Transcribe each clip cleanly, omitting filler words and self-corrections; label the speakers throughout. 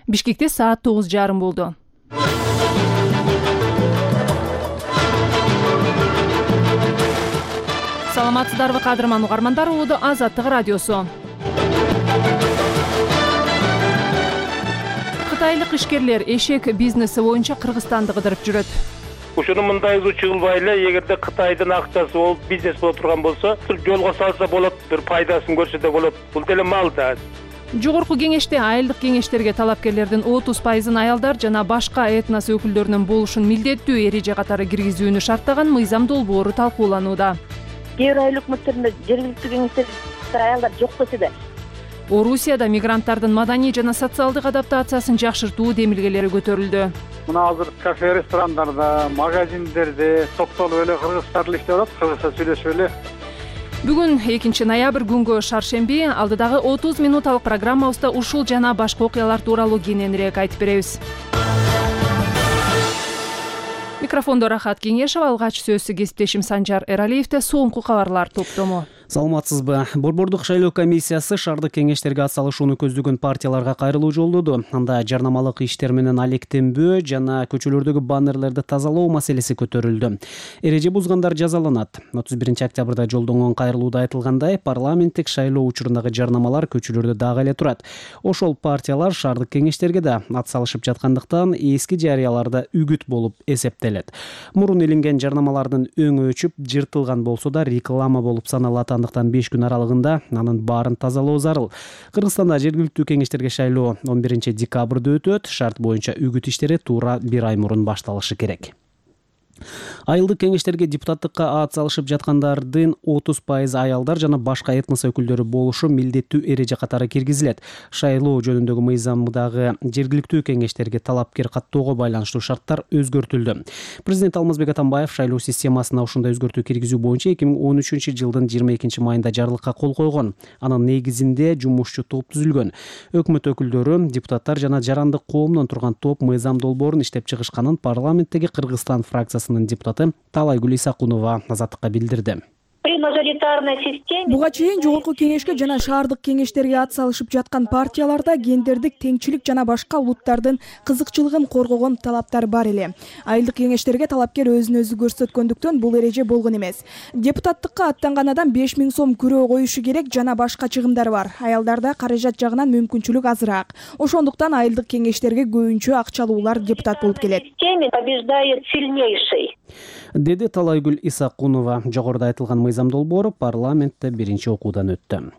Speaker 1: Бишкекте саат 9:30 болду. Саламатсыздарбы кадырман угармандар, угуду Азаттык радиосу. Кытайлык ишкерлер эшек бизнеси боюнча Кыргызстанды кыдырып жүрөт.
Speaker 2: Ушуну мындай чыгылбай эле, эгерде Кытайдын акчасы болуп бизнес боло турган болсо, жолго салса болот, бир пайдасын көрсө да болот. Бул деле мал да.
Speaker 1: Жогорку кеңеште айылдык кеңештерге талапкерлердин 30% аялдар жана башка этнос өкүлдөрүнүн болушун милдеттүү эреже катары киргизүүнү шарттаган мыйзам долбоору талкууланууда.
Speaker 3: Кээ бир айыл өкмөттөрүндө жергиликтүү кеңештерде аялдар жок десе да.
Speaker 1: Орусияда мигранттардын маданий жана социалдык адаптациясын жакшыртуу демилгелери көтөрүлдү.
Speaker 4: Мына азыр кафе, ресторандарда, магазиндерде токтолуп эле кыргызча тил иштеп атат, кыргызча сүйлөшүп эле.
Speaker 1: Бүгүн 2 ноябрь күнгө шаршемби, алдыдагы 30 минуталык программабызда ушул жана башка окуялар тууралуу кененирээк айтып беребиз. Микрофондо Рахат Кеңешова, алгач сөзсү кесиптешим Санжар Эралиевде. Соңку кабарлар топтому.
Speaker 5: Саламатсызбы. Борбордук шайлоо комиссиясы шаардык кеңештерге атсалышууну көздөгөн партияларга кайрылуу жолдоду. Анда жарнамалык иштер менен алектенбөө жана көчөлөрдөгү баннерлерди тазалоо маселеси көтөрүлдү. Эреже бузгандар жазаланат. 31-октябрда жолдонгон кайрылууда айтылгандай, парламенттик шайлоо учурундагы жарнамалар көчөлөрдө дагы эле турат. Ошол партиялар шаардык кеңештерге да атсалышып жаткандыктан эски жарыяларда үгүт болуп эсептелет. Мурун илинген жарнамалардын өңү өчүп, жыртылган болсо да реклама болуп саналат. Андыктан 5 күн аралыгында анын баарын тазалоо зарыл. Кыргызстанда жергиликтүү кеңештерге шайлоо 11-декабрда өтөт. Шарт боюнча үгүт иштери туура 1 ай мурун башталышы керек. Айылдык кеңештерге депутаттыкка атсалышып жаткандардын 30% аялдар жана башка этнос өкүлдөрү болушу милдеттүү эреже катары киргизилет. Шайлоо жөнүндөгү мыйзамдагы жергиликтүү кеңештерге талапкер каттоого байланыштуу шарттар өзгөртүлдү. Президент Алмазбек Атамбаев шайлоо системасына ушундай өзгөртүү киргизүү боюнча 2013-жылдын 22-майында жарлыкка кол койгон. Анын негизинде жумушчу топ түзүлгөн. Өкмөт өкүлдөрү, депутаттар жана жарандык коомдон турган топ мыйзам долбоорун иштеп чыгышканын парламенттеги Кыргызстан фракциясынын депутаты Талайгүл Исакунова Азаттыкка билдирди.
Speaker 6: Буга чейин жогорку кеңешке жана шаардык кеңештерге атсалышып жаткан партияларда гендердик теңчилик жана башка улуттардын кызыкчылыгын коргогон талаптар бар эле. Айылдык кеңештерге талапкер өзүн өзү көрсөткөндүктөн бул эреже болгон эмес. Депутаттыкка аттанган адам 5000 сом күрөө коюшу керек жана башка чыгымдар бар. Аялдарда каражат жагынан мүмкүнчүлүк азыраак. Ошондуктан айылдык кеңештерге көбүнчө акчалуулар депутат болуп келет.
Speaker 3: Побеждает сильнейший.
Speaker 5: Деди Талайгүл Исакунова. Жогоруда айтылган мыйзам долбоору парламентте биринчи окуудан өттү.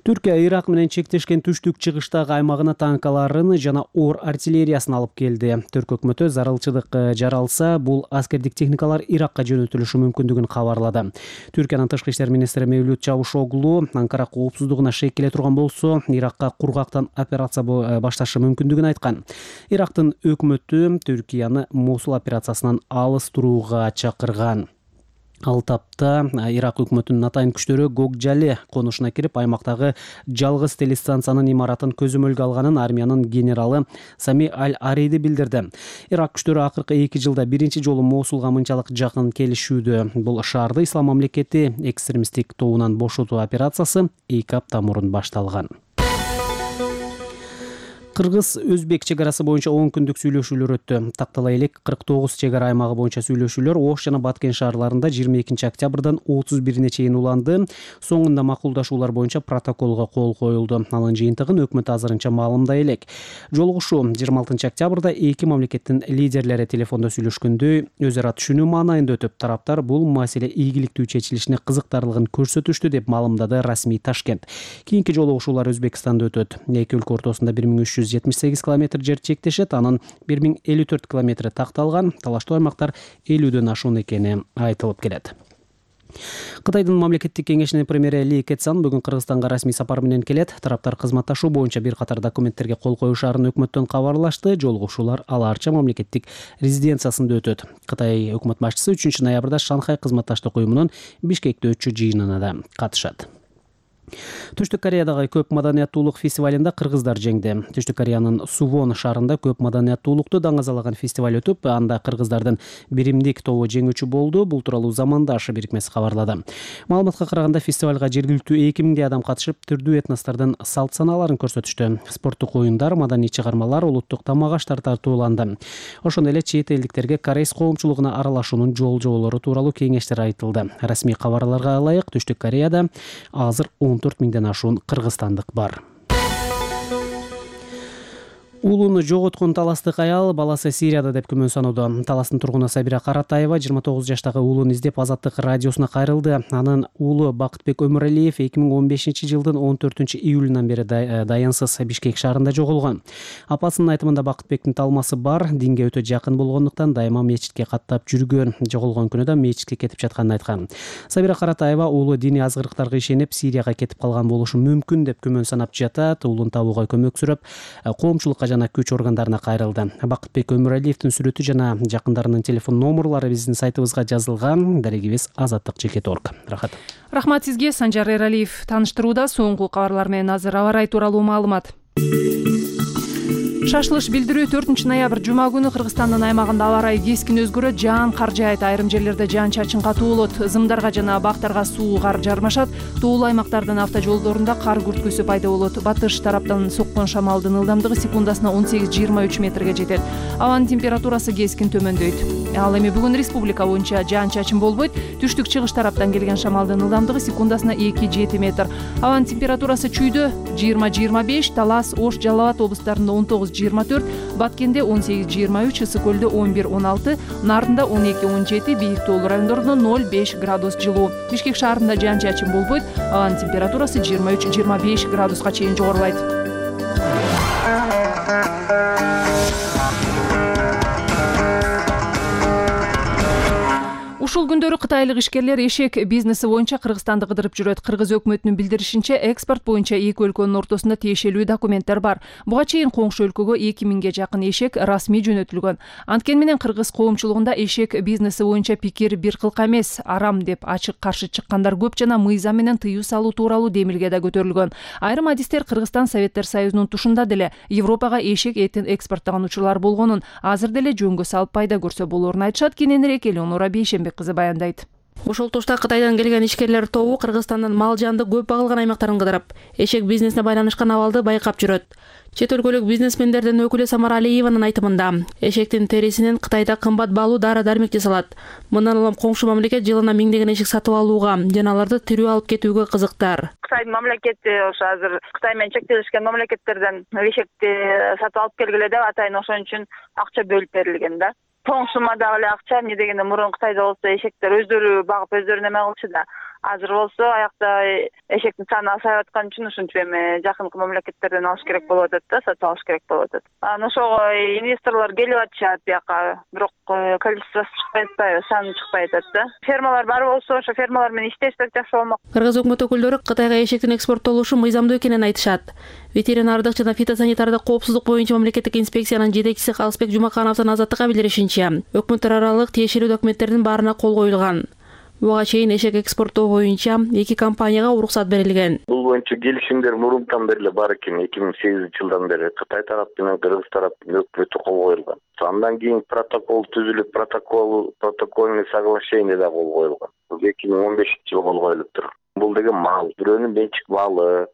Speaker 5: Түркия Ирак менен чектешкен түштүк чыгыштагы аймагына танкаларын жана оор артиллериясын алып келди. Түрк өкмөтү зарылчылык жаралса, бул аскердик техникалар Иракка жөнөтүлүшү мүмкүндүгүн кабарлады. Түркиянын тышкы иштер министри Мевлют Чавушоглу Анкара коопсуздугуна шек келе турган болсо, Иракка кургактан операция башташы мүмкүндүгүн айткан. Ирактын өкмөтү Түркияны Мосул операциясынан алыс турууга чакырган. Ал тапта Ирак өкмөтүнүн атайын күчтөрү Гокжали конушуна кирип, аймактагы жалгыз телестанциянын имаратын көзөмөлгө алганын армиянын генералы Сами Аль-Ариди билдирди. Ирак күчтөрү акыркы 2 жылда биринчи жолу Мосулга мынчалык жакын келишүүдө. Бул шаарды Ислам мамлекети экстремисттик тобунан бошотуу операциясы 2 апта мурун башталган. Кыргыз-Өзбек чегарасы боюнча 10 күндүк сүйлөшүүлөр өттү. Тактала элек 49 чегара аймагы боюнча сүйлөшүүлөр Ош жана Баткен шаарларында 22-октябрдан 31-ине чейин уланды. Соңунда макулдашуулар боюнча протоколго кол коюлду. Анын жыйынтыгын өкмөт азырынча маалымдай элек. Жолугушуу 26-октябрда эки мамлекеттин лидерлери телефондо сүйлөшкөндөй өз ара түшүнүү маанайында өтүп, тараптар бул маселе ийгиликтүү чечилишине кызыктарлыгын көрсөтүштү деп маалымдады расмий Ташкент. Кийинки жолугушуулар Өзбекстанда өтөт. Эки өлкө ортосунда 1378 км жер чектешет, анын 1054 км такталган. Талаштуу аймактар 50дөн ашуун экени айтылып келет. Кытайдын мамлекеттик кеңешинин премьери Ли Кэцан бүгүн Кыргызстанга расмий сапар менен келет. Тараптар кызматташуу боюнча бир катар документтерге кол коюшаарын өкмөттөн кабарлашты. Жолугушуулар аларча мамлекеттик резиденциясында өтөт. Кытай өкмөт башчысы 3 ноябрда Шанхай кызматташтык уюмунун Бишкекте өтчү жыйынына да катышат. Түштүк Кореядагы көп маданияттуулук фестивалында кыргыздар жеңди. Түштүк Кореянын Сувон шаарында көп маданияттуулукту даңазалаган фестиваль өтүп, анда кыргыздардын биримдик тобу жеңүүчү болду. Бул тууралуу Замандаш бирикмеси кабарлады. Маалыматка караганда фестивалга жергиликтүү 2000 адам катышып, түрдүү этностордун салт санааларын көрсөтүштү. Спорттук оюндар, маданий чыгармалар, улуттук тамак аштар тартууланды. Ошондой эле чет элдиктерге корейс коомчулугуна аралашуунун жол-жоболору тууралуу кеңештер айтылды. Расмий кабарларга ылайык, Түштүк Кореяда азыр 14 миңден ашуун кыргызстандык бар. Уулуну жоготкон таластык аял баласы Сирияда деп күмөн санууда. Таластын тургуну Сабира Каратаева 29 жаштагы уулун издеп Азаттык радиосуна кайрылды. Анын уулу Бакытбек Өмүралиев 2015-жылдын 14-июлунан бери даянсыз Бишкек шаарында жоголгон. Апасынын айтымында Бакытбектин талмасы бар, динге өтө жакын болгондуктан дайыма мечитке каттап жүргөн. Жоголгон күнү да мечитке кетип жатканын айткан. Сабира Каратаева уулу диний азгырыктарга ишенип Сирияга кетип калган болушу мүмкүн деп күмөн санап жатат. Уулун табууга көмөк сүрөп, коомчулукка жана күч органдарына кайрылды. Бакытбек Өмүралиевдин сүрөтү жана жакындарынын телефон номерлары биздин сайтыбызга жазылган. Дарегибиз Азаттык ЖК.org. Рахат.
Speaker 1: Рахмат сизге, Санжар Эралиев. Тааныштырууда соңку кабарлар менен азыр аба ырайы тууралуу маалымат. Шашылыш билдирүү 4-ноябрь жума күнү Кыргызстандын аймагында аба ырайы кескин өзгөрөт, жаан кар жаайт, айрым жерлерде жаан-чачын катуу болот, зымдарга жана бактарга суу кар жармашат, тоолуу аймактардын автожолдорунда кар күрткүсү пайда болот. Батыш тараптан соккон шамалдын ылдамдыгы секундасына 18-23 метрге жетет. Абанын температурасы кескин төмөндөйт. Ал эми бүгүн республика боюнча жаан-чачын болбойт. Түштүк-чыгыш тараптан келген шамалдын ылдамдыгы секундасына 2-7 метр. Абанын температурасы чүйдө 20-25, Талас, Ош, Жалал абад облустарында 19-24, Баткенде 18-23, Ысык көлдө 11-16, Нардында 12-17, бийик тоолуу райондордо 0-5 градус жылуу. Бишкек шаарында жаан-чачын болбойт. Абанын температурасы 23-25 градуска чейин жогорулайт. Ушул күндөрү кытайлык ишкерлер эшек бизнеси боюнча Кыргызстанды кыдырып жүрөт. Кыргыз өкмөтүнүн билдиришинче, экспорт боюнча эки өлкөнүн ортосунда тиешелүү документтер бар. Буга чейин коңшу өлкөгө 2000ге жакын эшек расмий жөнөтүлгөн. Анткени менен кыргыз коомчулугунда эшек бизнеси боюнча пикир бир кылка эмес, арам деп ачык каршы чыккандар көп жана мыйзам менен тыюу салуу тууралуу демилге да көтөрүлгөн. Айрым адистер Кыргызстан Советтер Союзунун тушунда деле Европага эшек этин экспорттогон учурлар болгонун, азыр деле жөнгө салып пайда көрсө болоорун айтышат. Кененирээк Элеонора Бейшенбек кызы баяндайт.
Speaker 7: Ошол тушта Кытайдан келген ишкерлер тобу Кыргызстандын мал жанды көп багылган аймактарын кыдырып, эшек бизнесине байланышкан абалды байкап жүрөт. Чет өлкөлүк бизнесмендердин өкүлү Самара Алиеванын айтымында, эшектин терисинен Кытайда кымбат баалуу дары-дармек жасалат. Мындан улам коңшу мамлекет жылына миңдеген эшек сатып алууга жана аларды тирүү алып кетүүгө кызыктар.
Speaker 3: Кытайдын мамлекети ошо азыр Кытай менен чектелишкен мамлекеттерден эшекти сатып алып келгиле деп атайын ошон үчүн акча бөлүп берилген да. Тоңсума дагы эле акча, эмне дегенде мурун Кытайда болсо эшектер өздөрү багып өздөрү неме кылчу да. Азыр болсо аякта эшектин саны азайып аткан үчүн ушинтип эми жакынкы мамлекеттерден алыш керек болуп атат да, сатып алыш керек болуп атат. Анан ошого инвесторлор келип атышат бияка, бирок количествосу чыкпай атпайбы, саны чыкпай атат да. Фермалар бар болсо, ошо фермалар менен иштесек жакшы болмок.
Speaker 7: Кыргыз өкмөт өкүлдөрү Кытайга эшектин экспорттолушу мыйзамдуу экенин айтышат. Ветеринардык жана фитосанитардык коопсуздук боюнча мамлекеттик инспекциянын жетекчиси Калысбек Жумакановдун Азаттыкка билдиришинче, өкмөттөр аралык тиешелүү документтердин баарына кол коюлган. Буга чейин эшек экспорттоо боюнча 2 компанияга уруксат берилген.
Speaker 8: Бул боюнча келишимдер мурунтан бери бар экен, 2008-жылдан бери Кытай тарап менен Кыргыз тараптын өкмөтү кол коюлган. Андан кийин протокол түзүлүп, протокольный соглашение да кол коюлган. Бул 2015-жылы кол коюлуптур. Бул деген мал, бирөөнүн менчик малы,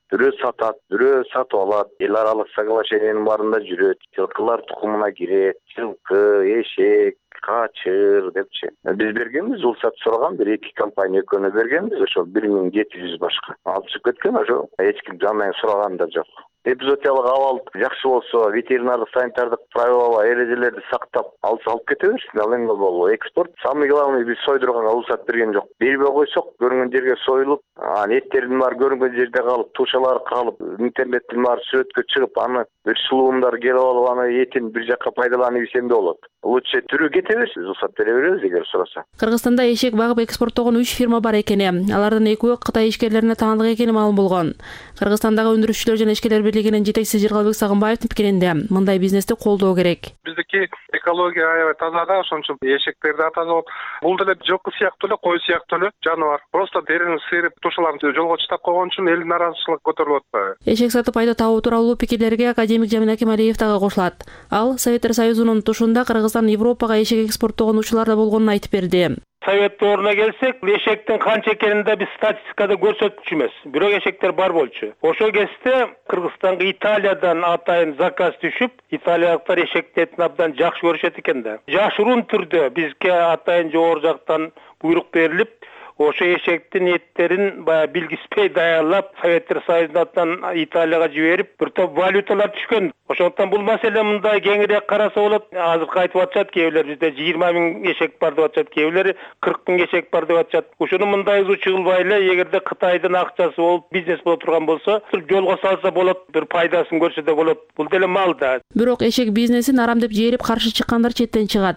Speaker 8: бирөө сатат, бирөө сатып алат. Эл аралык соглашениянын барында жүрөт. Жылкылар тукумуна кирет, жылкы, эшек, качыр депчи. Биз бергенбиз, рұқсат сураган бир 2 компания экөөнө бергенбиз, ошо 1700 башка. Алышып кеткен, ошо эч ким жандан сураган да жок. Эпизодиялык абал жакшы болсо, ветеринардык санитардык правила, эрежелерди сактап, алып кете берсин. Ал эми болобу экспорт. Самый главный биз сойдурганга рұқсат берген жок. Бербей койсок, көрүнгөн жерге союлуп, эттердин баары көрүнгөн жерде калып, тушалар калып, интернеттин баары сүрөткө чыгып, аны бир сулуундар келип алып, аны этин бир жакка пайдаланып ийсем да болот. Лучше түрү кете берсин, рұқсат бере беребиз эгер сураса.
Speaker 7: Кыргызстанда эшек багып экспорттогон 3 фирма бар экени, алардын экөө Кытай ишкерлерине таандык экени маалым болгон. Кыргызстандагы өндүрүшчүлөр жана ишкерлер бирлигинин жетекчиси Жыргалбек Сагынбаевдин пикиринде мындай бизнести колдоо керек.
Speaker 4: Биздики экология аябай таза да, ошон үчүн эшектерди таза болот. Бул деле жылкы сыяктуу эле, кой сыяктуу эле жаныбар. Просто дерини сыйрып тушаларын жолго чыдап койгон үчүн элдин нааразычылыгы көтөрүлүп атпайбы?
Speaker 7: Эшек сатып пайда табуу тууралуу пикирлерге академик Жамил Акималиев дагы кошулат. Ал Советтер Союзунун тушунда Кыргызстан Европага эшек экспорттогон учурлар да болгонун айтып берди.
Speaker 2: Совет дооруна келсек, эшектин канча экенин да биз статистикада көрсөткүчү эмес. Бирок эшектер бар болчу. Ошол кезде Кыргызстанга Италиядан атайын заказ түшүп, италиялыктар эшекти этин абдан жакшы көрүшөт экен да. Жашыруун түрдө бизге атайын жогору жактан буйрук берилип, ошо эшектин эттерин баягы билгиспей даярлап, Советтер Союзунан Италияга жиберип, бир топ валюталар түшкөн. Ошондуктан бул маселе мындай кеңирээк караса болот. Азыркы айтып атышат кээбилер бизде 20 000 эшек бар деп атышат, кээбилери 40 000 эшек бар деп атышат. Ошону мындай чыгылбай эле, эгерде Кытайдын акчасы болуп бизнес боло турган болсо, жолго салса болот, бир пайдасын көрсө да болот. Бул деле мал да.
Speaker 7: Бирок эшек бизнесин арам деп жээрип каршы чыккандар четтен чыгат.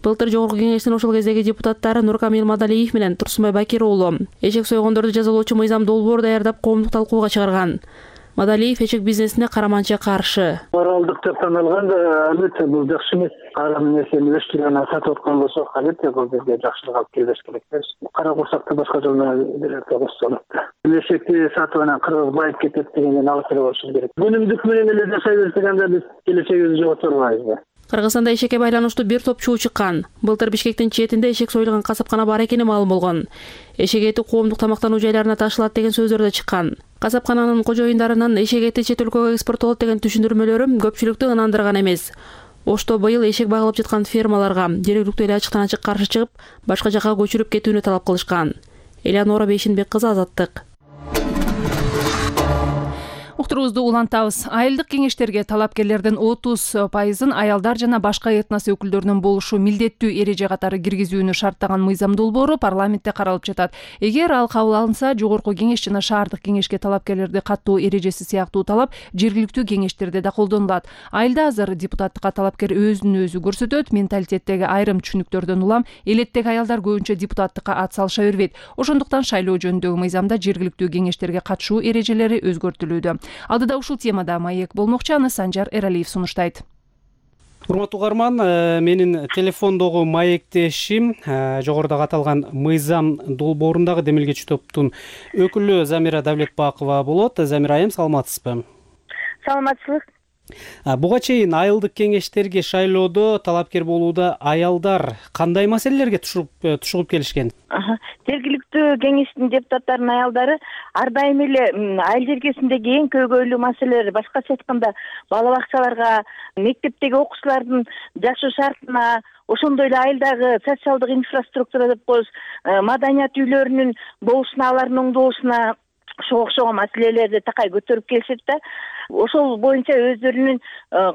Speaker 7: Былтыр жогорку кеңештин ошол кездеги депутаттары Нуркамил Мадалиев менен Турсунбай Бакир уулу эшек сойгондорду жазалоочу мыйзам долбоор даярдап коомдук талкууга чыгарган. Мадалиев эшек бизнесине караманча каршы.
Speaker 9: Моралдык деп таналганда албетте бул жакшы эмес. Арам нерсени өстүргөн сатып аткан болсо, албетте бул бизге жакшылык алып келбеш керек. Кара курсакты башка жол менен берсе болот. Эшекти сатып анан кыргыз байып кетет дегенден алып келе болуш керек. Өнүмдүк менен эле жашай берсек биз келечегибизди жоготорбайбыз.
Speaker 7: Кыргызстанда эшекке байланыштуу бир топ чуу чыккан. Былтыр Бишкектин четинде эшек союлган касапкана бар экени маалым болгон. Эшек эти коомдук тамактануу жайларына ташылат деген сөздөр да чыккан. Касапкананын кожоюндарынын эшек эти чет өлкөгө экспорттолот деген түшүндүрмөлөрү көпчүлүктү ынандырган эмес. Ошто быйыл эшек багылып жаткан фермаларга жергиликтүү эле ачыктан ачык каршы чыгып, башка жакка көчүрүп кетүүнү талап кылышкан. Элеонора Бейшинбек кызы, Азаттык.
Speaker 1: Уктурубузду улантабыз. Айылдык кеңештерге талапкерлердин 30% аялдар жана башка этнос өкүлдөрүнүн болушу милдеттүү эреже катары киргизүүнү шарттаган мыйзам долбоору парламентте каралып жатат. Эгер ал кабыл алынса, жогорку кеңеш жана шаардык кеңешке талапкерлерди каттоо эрежеси сыяктуу талап жергиликтүү кеңештерде да колдонулат. Айылда азыр депутаттыкка талапкер өзүн өзү көрсөтөт, менталитеттеги айрым түшүнүктөрдөн улам элеттеги аялдар көбүнчө депутаттыкка ат салыша бербейт. Ошондуктан шайлоо жөнүндөгү мыйзамда жергиликтүү кеңештерге катышуу эрежелери өзгөртүлүүдө. Алдыда ушул темада маек болмокчу, аны Санжар Эралиев сунуштайт.
Speaker 5: Урматтуу угарман, менин телефондогу маектешим жогоруда аталган мыйзам долбоорундагы демилгечи топтун өкүлү Замира Давлетбакова болот. Замира айым, саламатсызбы?
Speaker 3: Саламатсызбы.
Speaker 5: Буга чейин айылдык кеңештерге шайлоодо талапкер болууда аялдар кандай маселелерге тушугуп келишкен?
Speaker 3: Жергиликтүү кеңештин депутаттарынын аялдары ар дайым эле айыл жергесиндеги эң көйгөйлүү маселелер, башкача айтканда бала бакчаларга, мектептеги окуучулардын жашоо шартына, ошондой эле айылдагы социалдык инфраструктура деп коебуз, маданият үйлөрүнүн болушуна, алардын оңдолушуна ошого окшогон маселелерди такай көтөрүп келишет да. Ошол боюнча өздөрүнүн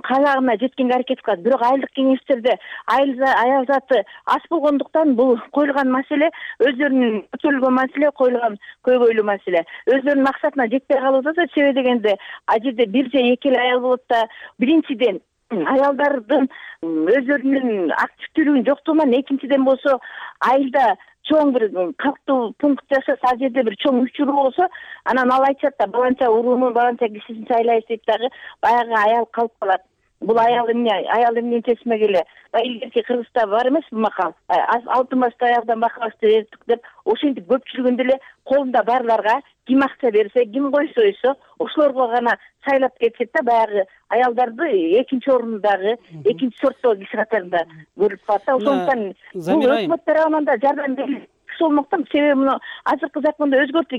Speaker 3: каалагына жеткенге аракет кылат. Бирок айылдык кеңештерде аял заты аз болгондуктан бул коюлган маселе өздөрүнүн көтөрүлгөн маселе, коюлган көйгөйлүү маселе өздөрүнүн максатына жетпей калууда да. Себеби дегенде ал жерде бир же эки эле аял болот да. Биринчиден аялдардын өздөрүнүн активдүүлүгүнүн жоктугунан, экинчиден болсо айылда чоң бир калктуу пункт жашаса, ал жерде бир чоң учуруу болсо, анан ал айтышат да, баланча уруунун баланча кишисин шайлайбыз дейт дагы, баягы аял калып калат. Бул аял эмне чечмек эле. Илгерки Кыргызда бар эмес бул макал. Алтын башты аялдан бакабашты бердик деп, ошентип көпчүлүгүндө эле колунда барларга ким акча берсе, ким кой сойсо, ошолорго гана шайлап кетишет да, баягы аялдарды экинчи орунундагы, экинчи сорттогу киши катарында көрүп калат да. Ошондуктан бул өкмөт тарабынан да жардам берилет болмоктон, себеби мына азыркы закондо өзгөртүү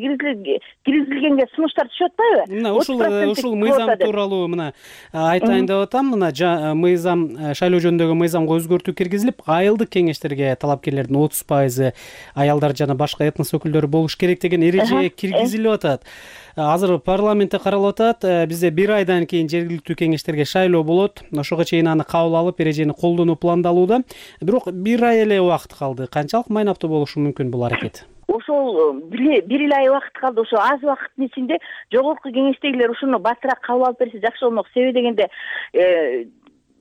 Speaker 3: киргизилгенге сунуштар түшүп атпайбы?
Speaker 5: Мына ушул мыйзам тууралуу мына айтайын деп атам. Мына мыйзам, шайлоо жөнүндөгү мыйзамга өзгөртүү киргизилип, айылдык кеңештерге талапкерлердин 30% аялдар жана башка этнос өкүлдөрү болуш керек деген эреже киргизилип атат. Азыр парламентте каралып атат. Бизде бир айдан кийин жергиликтүү кеңештерге шайлоо болот. Ошого чейин аны кабыл алып, эрежени колдонуу пландалууда. Бирок бир ай эле убакыт калды. Канчалык майнаптуу болушу мүмкүн бул аракет?
Speaker 3: Ошол бир эле ай убакыт калды. Ошо аз убакыттын ичинде жогорку кеңештегилер ушуну батыраак кабыл алып берсе жакшы болмок. Себеби дегенде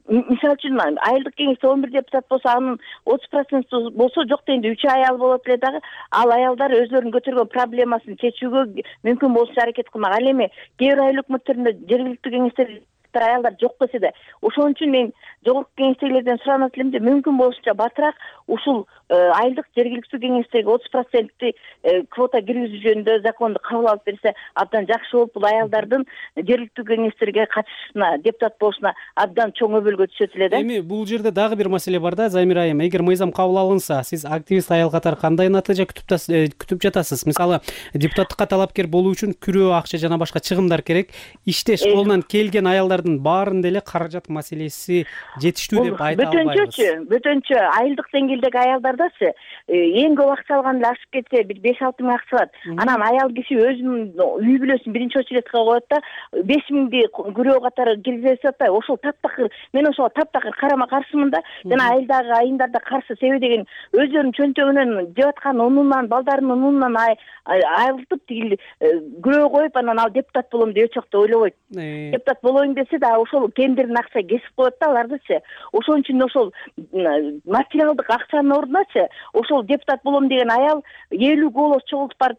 Speaker 3: мисалы үчүн айылдык кеңеште 11 депутат болсо, анын 30% болсо, жок дегенде 3 аял болот эле дагы. Ал аялдар өзлөрүнүн көтөргөн проблемасын чечүүгө мүмкүн болушунча аракет кылмак. Ал эми кээ бир айыл өкмөттөрүндө жергиликтүү кеңештерде аялдар жок десе да, ошон үчүн мен жогорку кеңештегилерден суранат элем де, мүмкүн болушунча батыраак ушул айылдык жергиликтүү кеңештеги 30% квота киргизүү жөнүндө законду кабыл алып берсе абдан жакшы болуп, бул аялдардын жергиликтүү кеңештерге катышышына, депутат болушуна абдан чоң өбөлгө түшөт эле да.
Speaker 5: Эми бул жерде дагы бир маселе бар да, Замира айым. Эгер мыйзам кабыл алынса, сиз активист аял катары кандай натыйжа күтүп жатасыз? Мисалы, депутаттыкка талапкер болуу үчүн күрөө акча жана башка чыгымдар керек. Иштеш колунан келген аялдардын баарын деле каражат маселеси жетиштүү деп айта албайбыз.
Speaker 3: Бөтөнчө айылдык деңгээлдеги аялдардачы эң көп акча алганда ашып кетсе бир 5-6 миң акча алат. Анан аял киши өзүнүн үй бүлөсүн биринчи очередке коет да, 5 миңди күрөө катары киргизип атпайбы? Ошол таптакыр, мен ошого таптакыр карама каршымын да. Жана айылдагы айымдарда каршы, себеби деген өздөрүнүн чөнтөгүнөн жеп аткан унунан, балдарынын унунан айылтып тигил күрөө коюп, анан ал депутат болом деп эч убакта ойлобойт. Депутат болоюн десе да ошол кендирдин акча кесип коет да алардычы. Ошон үчүн ошол материалдык акчанын ордуначы ошол депутат болом деген аял 50 голос чогултуп барып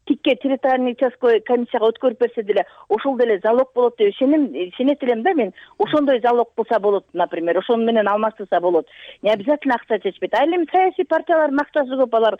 Speaker 3: тикке территориальный участковый комиссияга өткөрүп берсе деле ошол деле залог болот деп ишенет элем да мен. Ошондой залог болсо болот, например, ошону менен алмаштырса болот. Не обязательно акча чечпейт. Ал эми саясий партиялардын акчасы көп, алар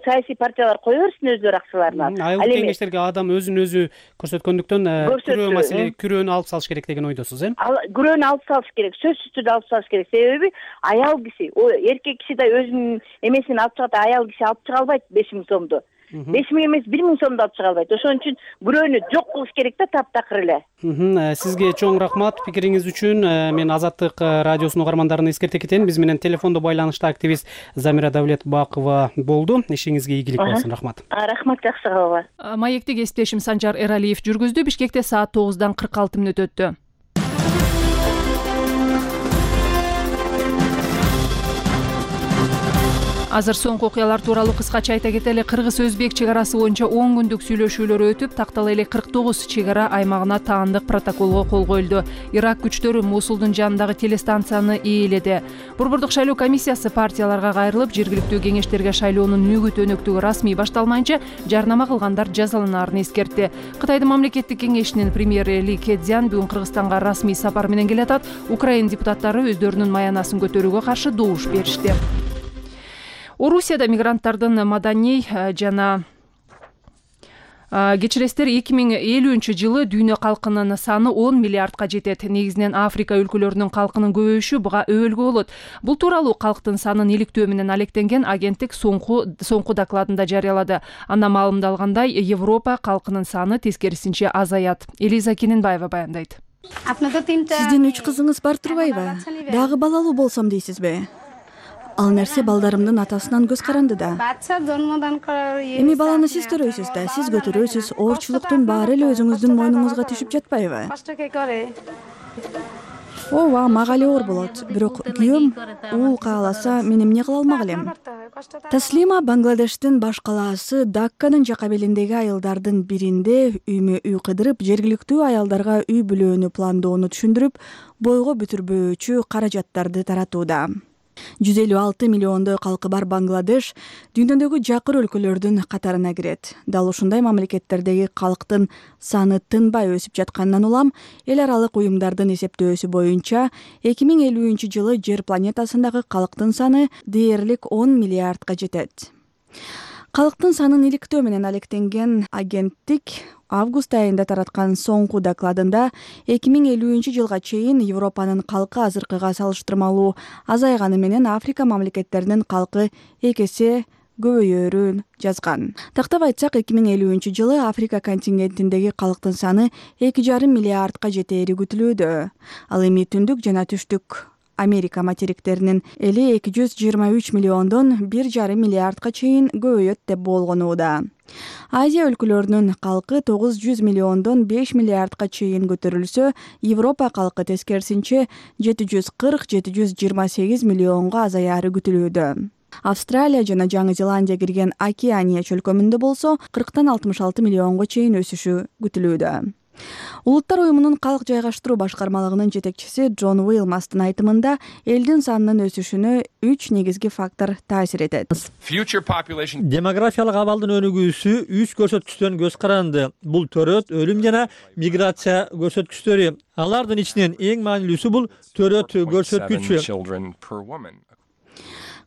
Speaker 3: саясий партиялар кое берсин өздөрү акчаларын.
Speaker 5: Айыл кеңештерге адам өзүн өзү көрсөткөндүктөн күрөө маселе, күрөөнү алып салыш керек деген ойдосуз,
Speaker 3: Күрөөнү алып салыш керек, сөзсүз түрдө алып салыш керек. Себеби аял киши, эркек киши да өзүнүн эмесин алып чыгат, аял киши алып чыга албайт 5 миң сомду. 5 миң эмес 1 миң сомду алып чыга албайт. Ошон үчүн күрөөнү жок кылыш керек да, таптакыр эле.
Speaker 5: Сизге чоң рахмат пикириңиз үчүн. Мен Азаттык радиосунун угармандарына эскерте кетейин. Биз менен телефондо байланышта активист Замира Давлетбакова болду. Ишиңизге ийгилик болсун. Рахмат.
Speaker 3: Рахмат, жакшы кабыл.
Speaker 1: Маекти кесиптешим Санжар Эралиев жүргүздү. Бишкекте саат 9:46 өттү. Азыр соңку окуялар тууралуу кыскача айта кетели. Кыргыз-Өзбек чек арасы боюнча 10 күндүк сүйлөшүүлөр өтүп, тактала эле 49 чек ара аймагына таандык протоколго кол коюлду. Ирак күчтөрү Мусулдун жанындагы телестанцияны ээледи. Борбордук шайлоо комиссиясы партияларга кайрылып, жергиликтүү кеңештерге шайлоонун нөгүт өнөктүгү расмий башталмайынча жарнама кылгандар жазаланаарын эскертти. Кытайдын мамлекеттик кеңешинин премьери Ли Кэцзян бүгүн Кыргызстанга расмий сапар менен келатат. Украин депутаттары өздөрүнүн маянасын көтөрүүгө каршы добуш беришти. Орусияда мигранттардын маданий жана кечиресиздер 2050-жылы дүйнө калкынын саны 10 миллиардка жетет. Негизинен Африка өлкөлөрүнүн калкынын көбөйүшү буга өбөлгө болот. Бул тууралуу калктын санын иликтөө менен алектенген агенттик соңку докладында жарыялады. Анда маалымдалгандай, Европа калкынын саны тескерисинче азаят. Элиза Кененбаева баяндайт.
Speaker 6: Сиздин 3 кызыңыз бар турбайбы? Дагы балалуу болсом дейсизби? Ал нерсе балдарымдын атасынан көз каранды да. Эми баланы сиз төрөйсүз да, сиз көтөрөсүз, оорчулуктун баары эле өзүңүздүн мойнуңузга түшүп жатпайбы? Ооба, мага эле оор болот. Бирок күйөөм уул кааласа, мен эмне кыла алмак элем? Таслима Бангладештин баш калаасы Дакканын жака белиндеги айылдардын биринде үймө үй кыдырып, жергиликтүү аялдарга үй бүлөөнү пландоону түшүндүрүп, бойго бүтүрбөөчү каражаттарды таратууда. 156 миллиондой калкы бар Бангладеш дүйнөдөгү жакыр өлкөлөрдүн катарына кирет. Дал ушундай мамлекеттердеги калктын саны тынбай өсүп жатканынан улам, эл аралык уюмдардын эсептөөсү боюнча 2050-жылы жер планетасындагы калктын саны дээрлик 10 миллиардка жетет. Калктын санын иликтөө менен алектенген агенттик август айында тараткан соңку докладында 2050-жылга чейин Европанын калкы азыркыга салыштырмалуу азайганы менен Африка мамлекеттеринин калкы 2 эсе көбөйөрүн жазган. Тактап айтсак, 2050-жылы Африка континентиндеги калктын саны 2,5 миллиардка жетери күтүлүүдө. Ал эми түндүк жана түштүк Америка материктеринин эли 223 миллиондон 1,5 миллиардка чейин көбөйөт деп болгонууда. Азия өлкөлөрүнүн калкы 900 миллиондон 5 миллиардка чейин көтөрүлсө, Европа калкы тескерисинче 740-728 миллионго азаяры күтүлүүдө. Австралия жана Жаңы Зеландия кирген Океания чөлкөмүндө болсо 40-66 миллионго чейин өсүшү күтүлүүдө. Улуттар уюмунун калк жайгаштыруу башкармалыгынын жетекчиси Джон Уилмастын айтымында элдин санынын өсүшүнө 3 негизги фактор таасир этет.
Speaker 10: Демографиялык абалдын өнүгүүсү 3 көрсөткүчтөн көз каранды. Бул төрөт, өлүм жана миграция көрсөткүчтөрү. Алардын ичинен эң маанилүүсү бул төрөт көрсөткүчү.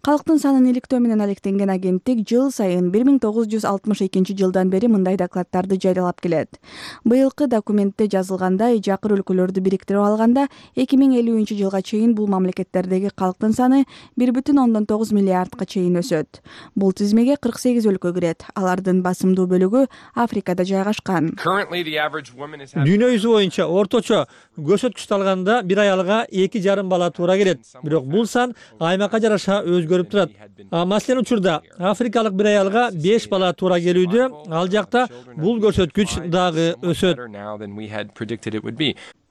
Speaker 6: Калктын санын иликтөө менен алектенген агенттик жыл сайын 1962 жылдан бери мындай докладдарды жарыялап келет. Быйылкы документте жазылгандай, жакыр өлкөлөрдү бириктирип алганда 2050 жылга чейин бул мамлекеттердеги калктын саны 1,9 миллиардга чейин өсөт. Бул тизмеге 48 өлкө кирет. Алардын басымдуу бөлүгү Африкада жайгашкан.
Speaker 10: Дүйнө жүзү боюнча орточо көрсөткүчтү алганда бир аялга 2,5 бала туура келет. Бирок бул сан аймакка жараша өзгөрүп турат. Маселен учурда африкалык бир аялга 5 бала туура келүүдө, ал жакта бул көрсөткүч дагы өсөт.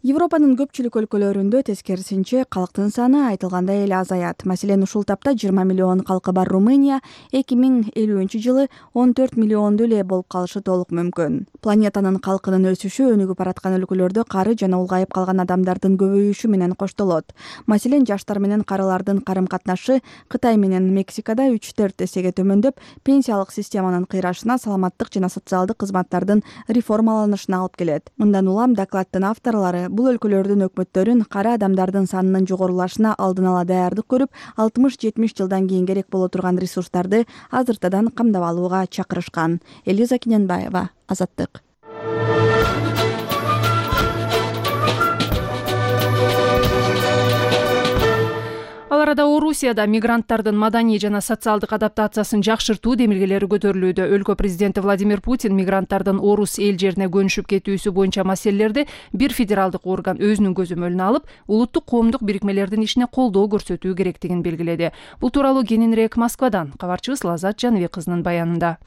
Speaker 6: Европанын көпчүлүк өлкөлөрүндө тескерисинче калктын саны айтылгандай эле азаят. Маселен, ушул тапта 20 миллион калкы бар Румыния 2050 жылы 14 миллионду эле болуп калышы толук мүмкүн. Планетанын калкынын өсүшү өнүгүп бараткан өлкөлөрдө кары жана улгайып калган адамдардын көбөйүшү менен коштолот. Маселен, жаштар менен карылардын карым-катнашы Кытай менен Мексикада 3-4 эсеге төмөндөп, пенсиялык системанын кыйрашына, саламаттык жана социалдык кызматтардын реформаланышына алып келет. Мындан улам докладдын авторлору бул өлкөлөрдүн өкмөттөрүн кара адамдардын санынын жогорулашына алдын ала даярдык көрүп, 60-70 жылдан кийин керек боло турган ресурстарды азыртадан камдап алууга чакырышкан. Элиза Кененбаева, Азаттык.
Speaker 1: Ал арада Орусияда мигранттардын маданий жана социалдык адаптациясын жакшыртуу демилгелери көтөрүлүүдө. Өлкө президенти Владимир Путин мигранттардын орус эл жерине көнүшүп кетүүсү боюнча маселелерди бир федералдык орган өзүнүн көзөмөлүнө алып, улуттук коомдук бирикмелердин ишине колдоо көрсөтүү керектигин белгиледи. Бул тууралуу кененирээк Москвадан кабарчыбыз Лазат Жаныбек кызынын баянында.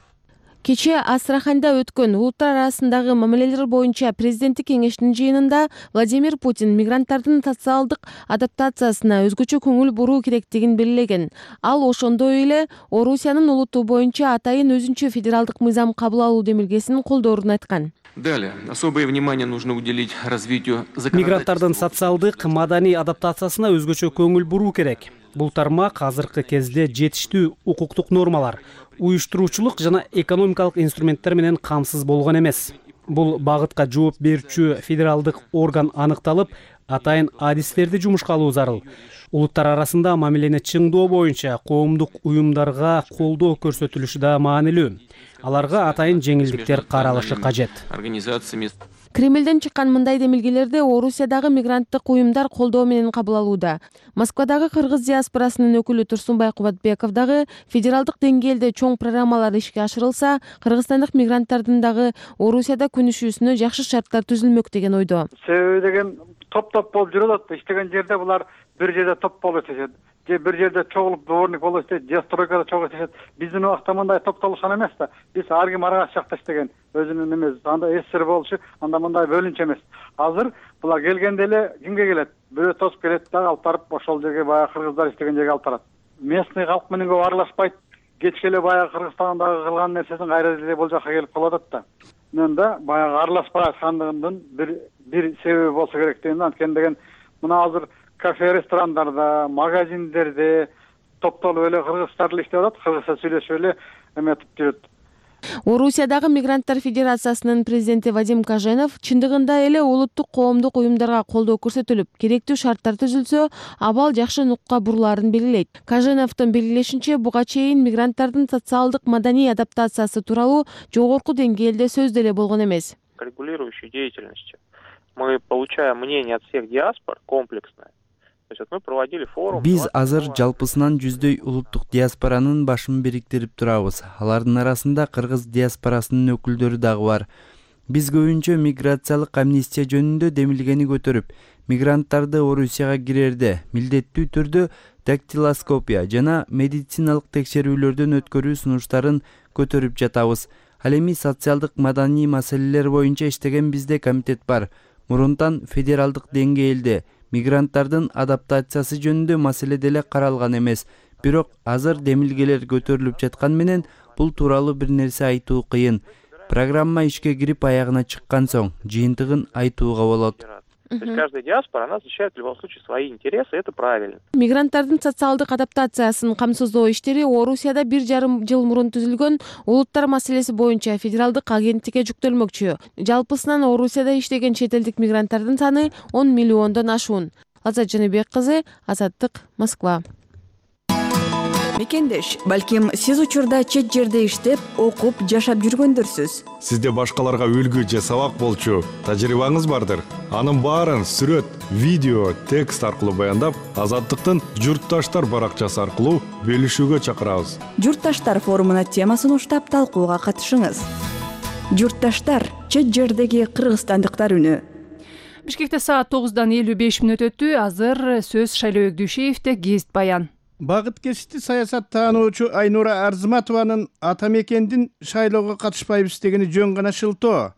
Speaker 7: Кечээ Астраханда өткөн улуттар арасындагы мамилелер боюнча президенттик кеңештин жыйынында Владимир Путин мигранттардын социалдык адаптациясына өзгөчө көңүл буруу керектигин белгилеген. Ал ошондой эле Орусиянын улуту боюнча атайын өзүнчө федералдык мыйзам кабыл алуу демилгесин колдоорун айткан.
Speaker 11: Далее, особое внимание нужно уделить развитию
Speaker 5: мигранттардын социалдык, маданий адаптациясына өзгөчө көңүл буруу керек. Бул тармак азыркы кезде жетиштүү укуктук нормалар, уюштуруучулук жана экономикалык инструменттер менен камсыз болгон эмес. Бул багытка жооп берүүчү федералдык орган аныкталып, атайын адистерди жумушка алуу зарыл. Улуттар арасында мамилени чыңдоо боюнча коомдук уюмдарга колдоо көрсөтүлүшү да маанилүү. Аларга атайын жеңилдиктер каралышы кажет.
Speaker 7: Кремлден чыккан мындай демилгелерди Орусиядагы мигранттык уюмдар колдоо менен кабыл алууда. Москвадагы кыргыз диаспорасынын өкүлү Турсунбай Кубатбеков дагы федералдык деңгээлде чоң программалар ишке ашырылса, кыргызстандык мигранттардын дагы Орусияда көнүшүүсүнө жакшы шарттар түзүлмөк деген ойдо.
Speaker 12: Себеби деген топ-топ болуп жүрөт. Иштеген жерде булар бир жерде топ болуп иштешет. Же бир жерде чогулуп дворник болуп иштейт, же стройкада чогуу иштешет. Биздин убакта мындай топтолушкан эмес да. Биз ар ким арга жакта иштеген. Өзүнүн эмес, анда эсер болушу, анда мындай бөлүнчө эмес. Азыр булар келгенде эле кимге келет? Бирөө тосуп келет да, алып барып ошол жерге баягы кыргыздар иштеген жерге алып барат. Местный калк менен көп аралашпайт. Кечке эле баягы Кыргызстандагы кылган нерсесин кайра эле бул жака келип калып атат да. Мен да баягы аралашпай аткандыгымдын бир себеби болсо керек дейм. Анткени деген мына азыр кафе, ресторандарда, магазиндерде топтолуп эле кыргыздар эле иштеп атат, кыргызча сүйлөшүп эле эметип жүрөт.
Speaker 7: Орусиядагы мигранттар федерациясынын президенти Вадим Каженов чындыгында эле улуттук коомдук уюмдарга колдоо көрсөтүлүп, керектүү шарттар түзүлсө, абал жакшы нукка бурулаарын белгилейт. Каженовдун белгилешинче, буга чейин мигранттардын социалдык маданий адаптациясы тууралуу жогорку деңгээлде сөз деле болгон эмес.
Speaker 13: Регулирующей деятельностью мы получаем мнение от всех диаспор комплексное.
Speaker 14: Биз азыр жалпысынан жүздөй улуттук диаспоранын башын бириктирип турабыз. Алардын арасында кыргыз диаспорасынын өкүлдөрү дагы бар. Биз көбүнчө миграциялык амнистия жөнүндө демилгени көтөрүп, мигранттарды Орусияга кирерде милдеттүү түрдө дактилоскопия жана медициналык текшерүүлөрдөн өткөрүү сунуштарын көтөрүп жатабыз. Ал эми социалдык маданий маселелер боюнча иштеген бизде комитет бар. Мурунтан федералдык деңгээлде мигранттардын адаптациясы жөнүндө маселе деле каралган эмес. Бирок азыр демилгелер көтөрүлүп жаткан менен бул тууралуу бир нерсе айтуу кыйын. Программа ишке кирип аягына чыккан соң жыйынтыгын айтууга болот.
Speaker 13: То есть каждая диаспора, она защищает в любом случае свои интересы, это правильно.
Speaker 7: Мигранттардын социалдык адаптациясын камсыздоо иштери Орусияда 1,5 жыл мурун түзүлгөн улуттар маселеси боюнча федералдык агенттикке жүктөлмөкчү. Жалпысынан Орусияда иштеген чет элдик мигранттардын саны 10 миллиондон ашуун. Азат Жаныбек кызы, Азаттык, Москва.
Speaker 15: Мекендеш, балким сиз учурда чет жерде иштеп, окуп, жашап жүргөндөрсүз.
Speaker 16: Сизде башкаларга үлгү же сабак болчу тажрыйбаңыз бардыр. Анын баарын сүрөт, видео, текст аркылуу баяндап, Азаттыктын Журтташтар баракчасы аркылуу бөлүшүүгө чакырабыз.
Speaker 15: Журтташтар форумуна темасын уштап талкууга катышыңыз. Журтташтар, чет жердеги кыргызстандыктар үнү.
Speaker 1: Бишкекте саат 9:55 өтү. Азыр сөз Шайлоо Дүйшеевде гезит баян.
Speaker 17: Багыт кесипти саясат таануучу Айнура Арзыматованын ата мекендин шайлоого катышпайбыз дегени жөн гана шылтоо.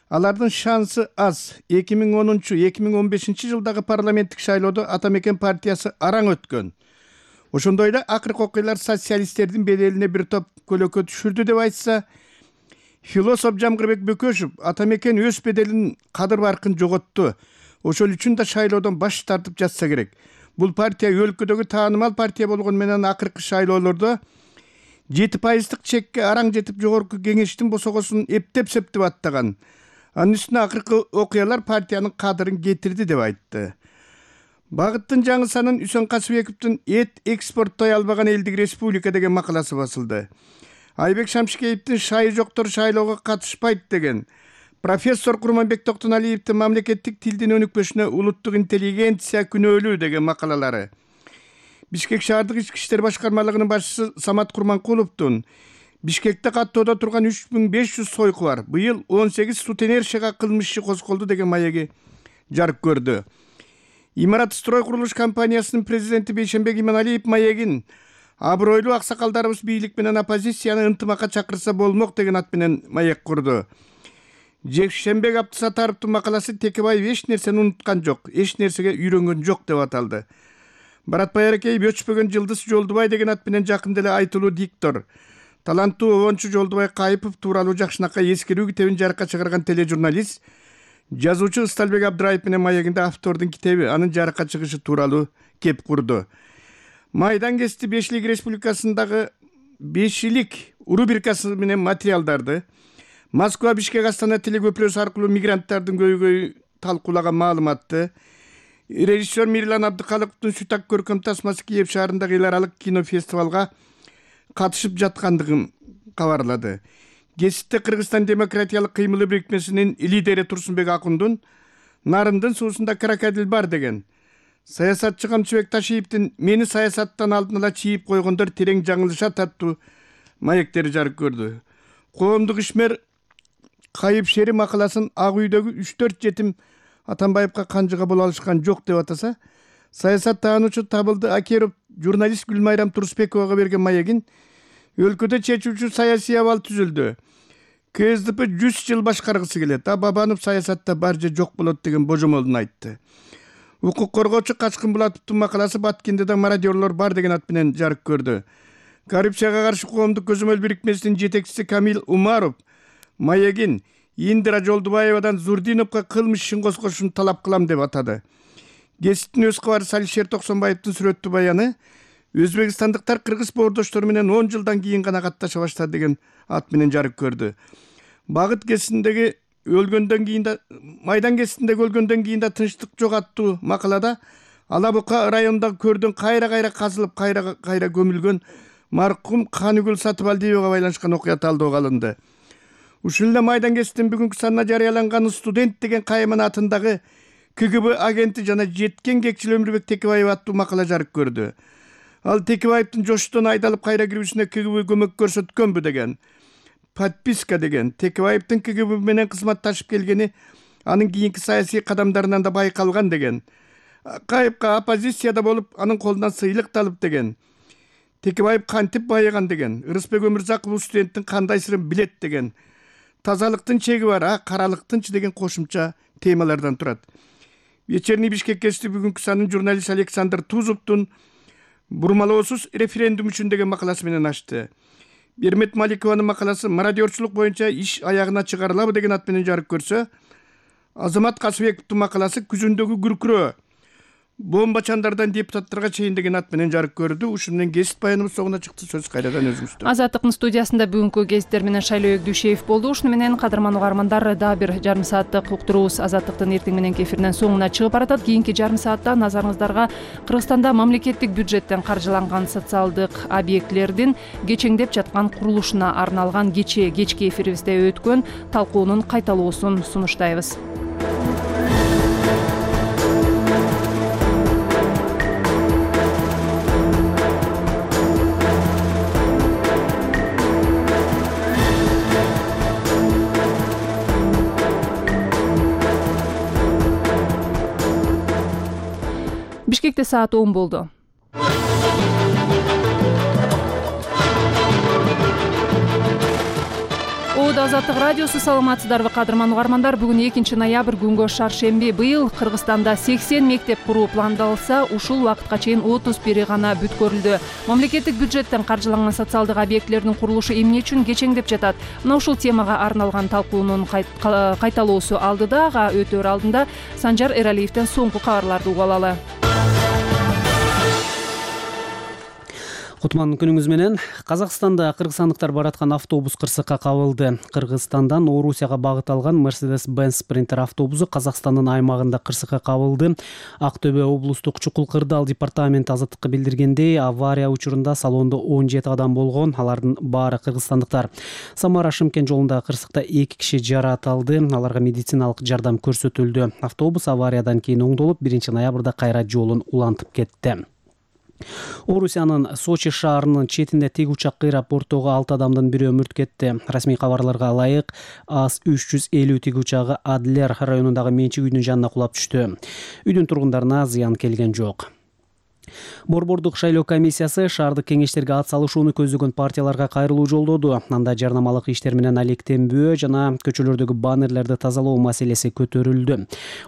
Speaker 17: Алардын шансы аз. 2010-2015 жылдагы парламенттик шайлоодо ата мекен партиясы араң өткөн. Ошондой эле акыркы окуялар социалисттердин беделине бир топ көлөкө түшүрдү деп айтса, философ Жамгырбек Бөкөшев ата мекен өз беделин кадыр баркын жоготту. Ошол үчүн да шайлоодон баш тартып жатса керек. Бул партия өлкөдөгү таанымал партия болгону менен акыркы шайлоолордо 7% чекке араң жетип жогорку кеңештин босогосун эптеп-септеп аттаган. Анын үстүнө акыркы окуялар партиянын кадырын кетирди деп айтты. Багыттын жаңы санын Үсөн Касыбековдун эт экспорттой албаган элдик республика деген макаласы басылды. Айбек Шамшикеевдин шайы жоктор шайлоого катышпайт деген, профессор Курманбек Токтоналиевдин мамлекеттик тилдин өнүкпөшүнө улуттук интеллигенция күнөөлүү деген макалалары. Бишкек шаардык ички иштер башкармалыгынын башчысы Самат Курманкуловдун Бишкекте каттоодо турган 3500 сойку бар. Быйыл 18 сутенершага кылмыш иши козголду деген маеги жарык көрдү. Имарат строй курулуш компаниясынын президенти Бейшенбек Иманалиев маегин абройлуу аксакалдарыбыз бийлик менен оппозицияны ынтымакка чакырса болмок деген ат менен маек курду. Жекшембек Абдысатаровдун макаласы Текебаев эч нерсени унуткан жок, эч нерсеге үйрөнгөн жок деп аталды. Баратбай Аракеев өчпөгөн Жылдыз Жолдубай деген ат менен жакында эле айтылуу диктор, таланттуу обончу Жолдубай Кайыпов тууралуу жакшынакай эскерүү китебин жарыкка чыгарган тележурналист, жазуучу Ысталбек Абдыраев менен маегинде автордун китеби анын жарыкка чыгышы тууралуу кеп курду. Майдан кести Бешилик Республикасындагы Бешилик рубрикасы менен материалдарды Москва Бишкек Астана телекөпүрөсү аркылуу мигранттардын көйгөйү талкуулаган маалыматты режиссер Мирлан Абдыкалыковдун Сүтак көркөм тасмасы Киев шаарындагы эл аралык кинофестивалга катышып жаткандыгын кабарлады. Гезитте Кыргызстан демократиялык кыймылы бирикмесинин лидери Турсунбек Акундун Нарындын суусунда крокодил бар деген, саясатчы Камчыбек Ташиевдин мени саясаттан алдын ала чийип койгондор терең жаңылышат аттуу маектери жарык көрдү. Коомдук ишмер Кайып Шери макаласын Ак үйдөгү 3-4 жетим Атамбаевка канжыга боло алышкан жок деп атаса, саясат таануучу Табылды Акеров журналист Гүлмайрам Турсбековага берген маегин өлкөдө чечүүчү саясий абал түзүлдү. КСДП 100 жыл башкаргысы келет, Бабанов саясатта бар же жок болот деген божомолун айтты. Укук коргоочу Качкын Булатовдун макаласы Баткенде да мародёрлор бар деген ат менен жарык көрдү. Коррупцияга каршы коомдук көзөмөл бирикмесинин жетекчиси Камил Умаров маегин Индира Жолдубаевадан Зурдиновго кылмыш ишин козгошун талап кылам деп атады. Гезиттин өз кабарчысы Алишер Токсонбаевдин сүрөттүү баяны Өзбекстандыктар кыргыз боордоштору менен 10 жылдан кийин гана катташа баштады деген ат менен жарык көрдү. Багыт кесиндеги өлгөндөн кийин да Майдан кесиндеги өлгөндөн кийин да тынчтык жок аттуу макалада Ала Бука районундагы көрдөн кайра казылып кайра көмүлгөн маркум Каныгүл Сатыбалдиевага байланышкан окуя талдоого алынды. Ушул эле Майдан кесиптин бүгүнкү санына жарыяланган студент деген кайымын атындагы КГБ агенти жана жеткен кекчил Өмүрбек Текебаев аттуу макала жарык көрдү. Ал Текебаевдин жоштон айдалып кайра кирүүсүнө КГБ көмөк көрсөткөнбү деген, подписка деген, Текебаевдин КГБ менен кызматташып келгени анын кийинки саясий кадамдарынан да байкалган деген, Кайыпка оппозицияда болуп анын колунан сыйлык алып деген, Текебаев кантип байыган деген, Ырысбек Өмүрзаков студенттин кандай сырын билет деген, тазалыктын чеги бар, каралыктынчы деген кошумча темалардан турат. Вечерний Бишкек кести бүгүнкү санын журналист Александр Тузовдун бурмалоосуз референдум үчүн деген макаласы менен ачты. Бермет Маликованын макаласы мародерчулук боюнча иш аягына чыгарылабы деген ат менен жарык көрсө, Азамат Касыбековдун макаласы күзүндөгү күркүрөө бомбачандардан депутаттарга чейин деген ат менен жарык көрдү. Ушун менен кесип баяныбыз соңуна чыкты. Сөз кайрадан өзүңүздө.
Speaker 1: Азаттыктын студиясында бүгүнкү гезиттер менен Шайлоо Дүйшеев болду. Ушуну менен кадырман угармандар, дагы бир жарым сааттык уктуруубуз Азаттыктын эртең мененки эфиринен соңуна чыгып баратат. Кийинки жарым саатта назарыңыздарга Кыргызстанда мамлекеттик бюджеттен каржыланган социалдык объектилердин кечеңдеп жаткан курулушуна арналган кечки эфирибизде өткөн талкуунун кайталоосун сунуштайбыз. Бишкекте саат 10 болду. Азаттык радиосу, саламатсыздарбы кадырман угармандар. Бүгүн 2-ноябрь күнгө шаршемби. Быйыл Кыргызстанда 80 мектеп куруу пландалса, ушул убакытка чейин 31 гана бүткөрүлдү. Мамлекеттик бюджеттен каржыланган социалдык объектилердин курулушу эмне үчүн кечеңдеп жатат? Мына ушул темага арналган талкуунун кайталоосу алдыда, ага өтөр алдында Санжар Эралиевден соңку кабарларды угуп алалы.
Speaker 5: Кутман күнүңүз менен. Казакстанда кыргызстандыктар бараткан автобус кырсыкка кабылды. Кыргызстандан Орусияга багыт алган Mercedes-Benz Sprinter автобусу Казакстандын аймагында кырсыкка кабылды. Актөбө облустук Чукул Кырдаал департаменти Азаттыкка билдиргендей, авария учурунда салондо 17 адам болгон. Алардын баары кыргызстандыктар. Самара-Шымкент жолундагы кырсыкта 2 киши жараат алды. Аларга медициналык жардам көрсөтүлдү. Автобус авариядан кийин оңдолуп, 1-ноябрда кайра жолун улантып кетти. Орусиянын Сочи шаарынын четинде тик учак кыйрап, бортогу 6 адамдын бири өмүрт кетти. Расмий кабарларга ылайык, АС-350 тик учагы Адлер районундагы менчик үйдүн жанына кулап түштү. Үйдүн тургундарына зыян келген жок. Борбордук шайлоо комиссиясы шаардык кеңештерге ат салышууну көздөгөн партияларга кайрылуу жолдоду. Анда жарнамалык иштер менен алектенбөө жана көчөлөрдөгү баннерлерди тазалоо маселеси көтөрүлдү.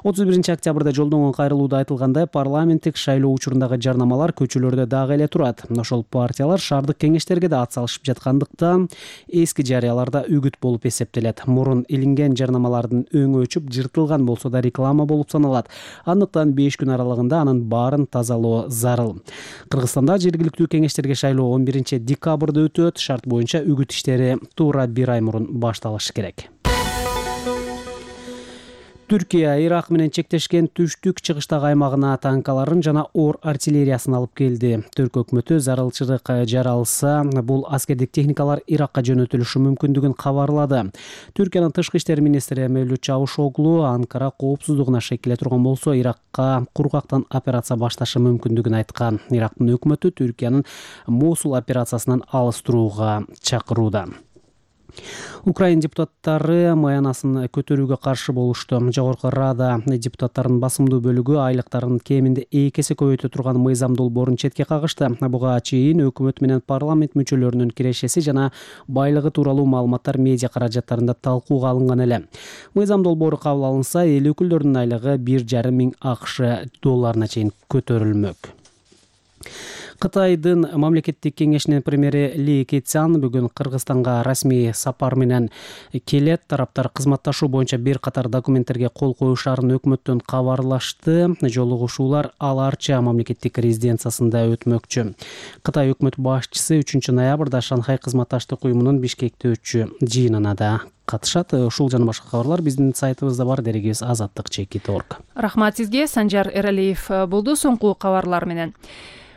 Speaker 5: 31 октябрда жолдонгон кайрылууда айтылгандай, парламенттик шайлоо учурундагы жарнамалар көчөлөрдө дагы эле турат. Ошол партиялар шаардык кеңештерге да ат салышып жаткандыктан эски жарыяларда үгүт болуп эсептелет. Мурун илинген жарнамалардын өңү өчүп, жыртылган болсо да реклама болуп саналат. Андыктан 5 күн аралыгында анын баарын тазалоо зарыл. Кыргызстанда жергиликтүү кеңештерге шайлоо 11 декабрда өтөт. Шарт боюнча үгүт иштери туура 1 ай мурун башталышы керек. Түркия Ирак менен чектешкен түштүк чыгыштагы аймагына танкаларын жана ор артиллериясын алып келди. Түрк өкмөтү зарылчылык жаралса, бул аскердик техникалар Иракка жөнөтүлүшү мүмкүндүгүн кабарлады. Түркиянын тышкы иштер министри Мевлют Чавушоглу Анкара коопсуздугуна шекиле турган болсо, Иракка кургактан операция башташы мүмкүндүгүн айткан. Ирактын өкмөтү Түркиянын Мосул операциясынан алыс турууга чакырууда. Украин депутаттары маянасын көтөрүүгө каршы болушту. Жогорку Рада депутаттарынын басымдуу бөлүгү айлыктарын кеминде 2 эсе көбөйтө турган мыйзам долбоорун четке кагышты. Буга чейин өкмөт менен парламент мүчөлөрүнүн кирешеси жана байлыгы тууралуу маалыматтар медиа каражаттарында талкууга алынган эле. Мыйзам долбоору кабыл алынса, эл өкүлдөрүнүн айлыгы 1,5 миң АКШ долларына чейин көтөрүлмөк. Кытайдын мамлекеттик кеңешинин премьери Ли Кэцян бүгүн Кыргызстанга расмий сапар менен келет. Тараптар кызматташуу боюнча бир катар документтерге кол коюшарын өкмөттөн кабарлашты. Жолугушуулар Аларча мамлекеттик резиденциясында өтмөкчү. Кытай өкмөт башчысы 3-ноябрда Шанхай кызматташтык уюмунун Бишкекте өтчү жыйынына да катышат. Ушул жана башка кабарлар биздин сайтыбызда бар, дерегибиз azattik.org.
Speaker 1: Рахмат сизге. Санжар Эралиев болду соңку кабарлар менен.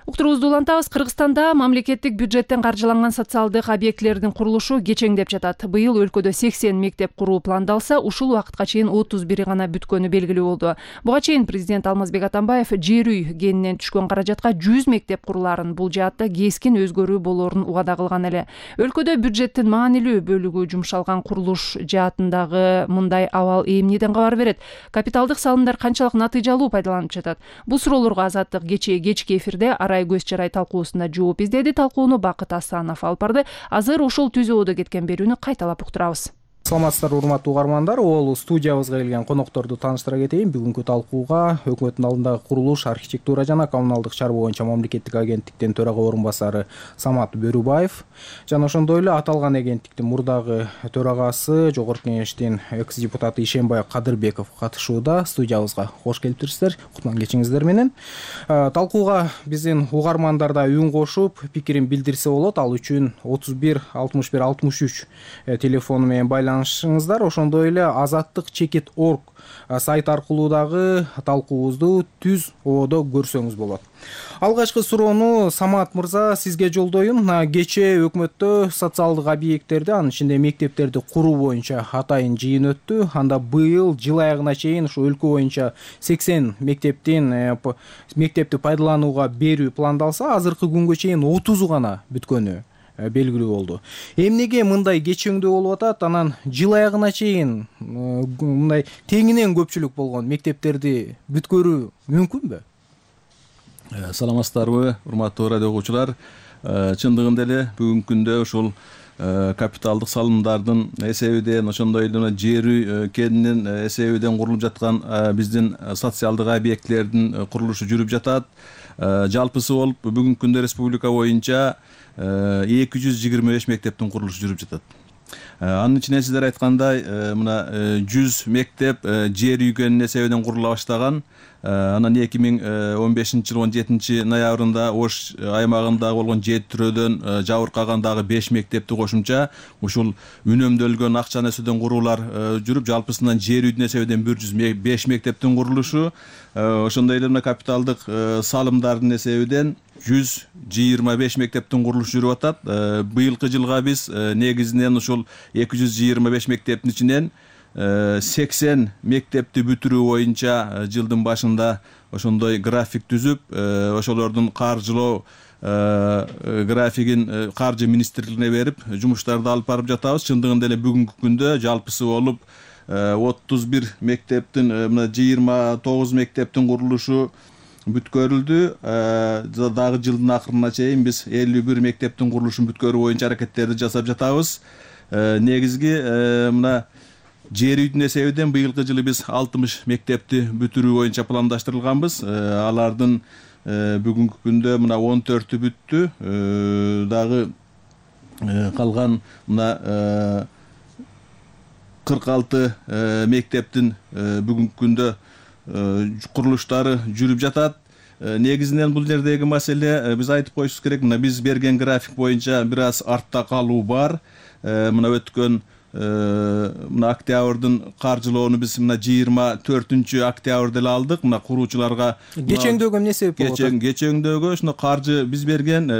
Speaker 1: Уктуруубузду улантабыз. Кыргызстанда мамлекеттик бюджеттен каржыланган социалдык объектилердин курулушу кечеңдеп жатат. Быйыл өлкөдө 80 мектеп куруу пландалса, ушул убакытка чейин 31 гана бүткөнү белгилүү болду. Буга чейин президент Алмазбек Атамбаев жер үй кенинен түшкөн каражатка 100 мектеп куруларын, бул жаатта кескин өзгөрүү болоорун убада кылган эле. Өлкөдө бюджеттин маанилүү бөлүгү жумшалган курулуш жаатындагы мындай абал эмнеден кабар берет? Капиталдык салымдар канчалык натыйжалуу пайдаланып жатат? Бул суроолорго Азаттык кечки эфирде көз чарай талкуусунда жооп издеди. Талкууну Бакыт Асанов алып барды. Азыр ушул түзөөдө кеткен берүүнү кайталап уктурабыз.
Speaker 18: Саламатсыздарбы урматтуу угармандар. Ол студиябызга келген конокторду тааныштыра кетейин. Бүгүнкү талкууга өкмөттүн алдындагы курулуш, архитектура жана коммуналдык чарба боюнча мамлекеттик агенттиктин төрага орун басары Самат Бөрүбаев жана ошондой эле аталган агенттиктин мурдагы төрагасы, Жогорку Кеңештин экс депутаты Ишенбай Кадырбеков катышууда. Студиябызга кош келиптирсиздер. Кутман кечиңиздер менен. Талкууга биздин угармандар да үн кошуп, пикирин билдирсе болот. Ал үчүн 31 61 63 телефону менен байланышыңыздар. Ошондой эле azattik.org сайт аркылуу дагы талкуубузду түз ободо көрсөңүз болот. Алгачкы суроону Самат мырза сизге жолдоюн. Кечээ өкмөттө социалдык объекттерди, анын ичинде мектептерди куруу боюнча атайын жыйын өттү. Анда быйыл жыл аягына чейин ушу өлкө боюнча 80 мектепти пайдаланууга берүү пландалса, азыркы күнгө чейин 30 гана бүткөнү белгилүү болду. Эмнеге мындай кечөңдүү болуп атат? Анан жыл аягына чейин мындай теңинен көпчүлүк болгон мектептерди бүткөрүү мүмкүнбү?
Speaker 19: Саламатсыздарбы, урматтуу радио угуучулар. Чындыгында эле бүгүнкү күндө ушул капиталдык салымдардын эсебинен, ошондой эле жер кенинин эсебинен курулуп жаткан биздин социалдык объектилердин курулушу жүрүп жатат. Жалпысы болуп бүгүнкү күндө республика боюнча 225 мектептин курулушу жүрүп жатат. Анын ичинен сиздер айткандай, мына 100 мектеп жер үйгөнүн эсебинен курула баштаган. Анан 2015 жыл 17 ноябрында Ош аймагында болгон 7 түрөдөн жабыркаган дагы 5 мектепти кошумча ушул үнөмдөлгөн акчанын эсебинен куруулар жүрүп, жалпысынан жер үйдүн эсебинен 105 мектептин курулушу, ошондой эле капиталдык салымдардын эсебинен 125 мектептин курулушу жүрүп атат. Быйылкы жылга биз негизинен ушул 225 мектептин ичинен 80 мектепти бүтүрүү боюнча жылдын башында ошондой график түзүп, ошолордун каржылоо графигин каржы министрлигине берип, жумуштарды алып барып жатабыз. Чындыгында эле бүгүнкү күндө жалпысы болуп 31 мектептин, мына 29 мектептин курулушу бүткөрүлдү. Дагы жылдын акырына чейин биз 51 мектептин курулушун бүткөрүү боюнча аракеттерди жасап жатабыз. Негизги мына жер үйдүн эсебинен быйылкы жылы биз 60 мектепти бүтүрүү боюнча пландаштырылганбыз. Алардын бүгүнкү күндө мына 14-ü бүттү. Дагы калган мына 46 мектептин бүгүнкү күндө курулуштары жүрүп жатат. Негизинен бул жердеги маселе биз айтып коюшубуз керек. Мына биз берген график боюнча бир аз артта калуу бар. Мына өткөн мына октябрдын каржылоону биз мына 24 октябрда эле алдык. Мына куруучуларга
Speaker 18: кечөңдөөгө эмне себеп болот?
Speaker 19: Кечөңдөөгө ушуну каржы биз берген,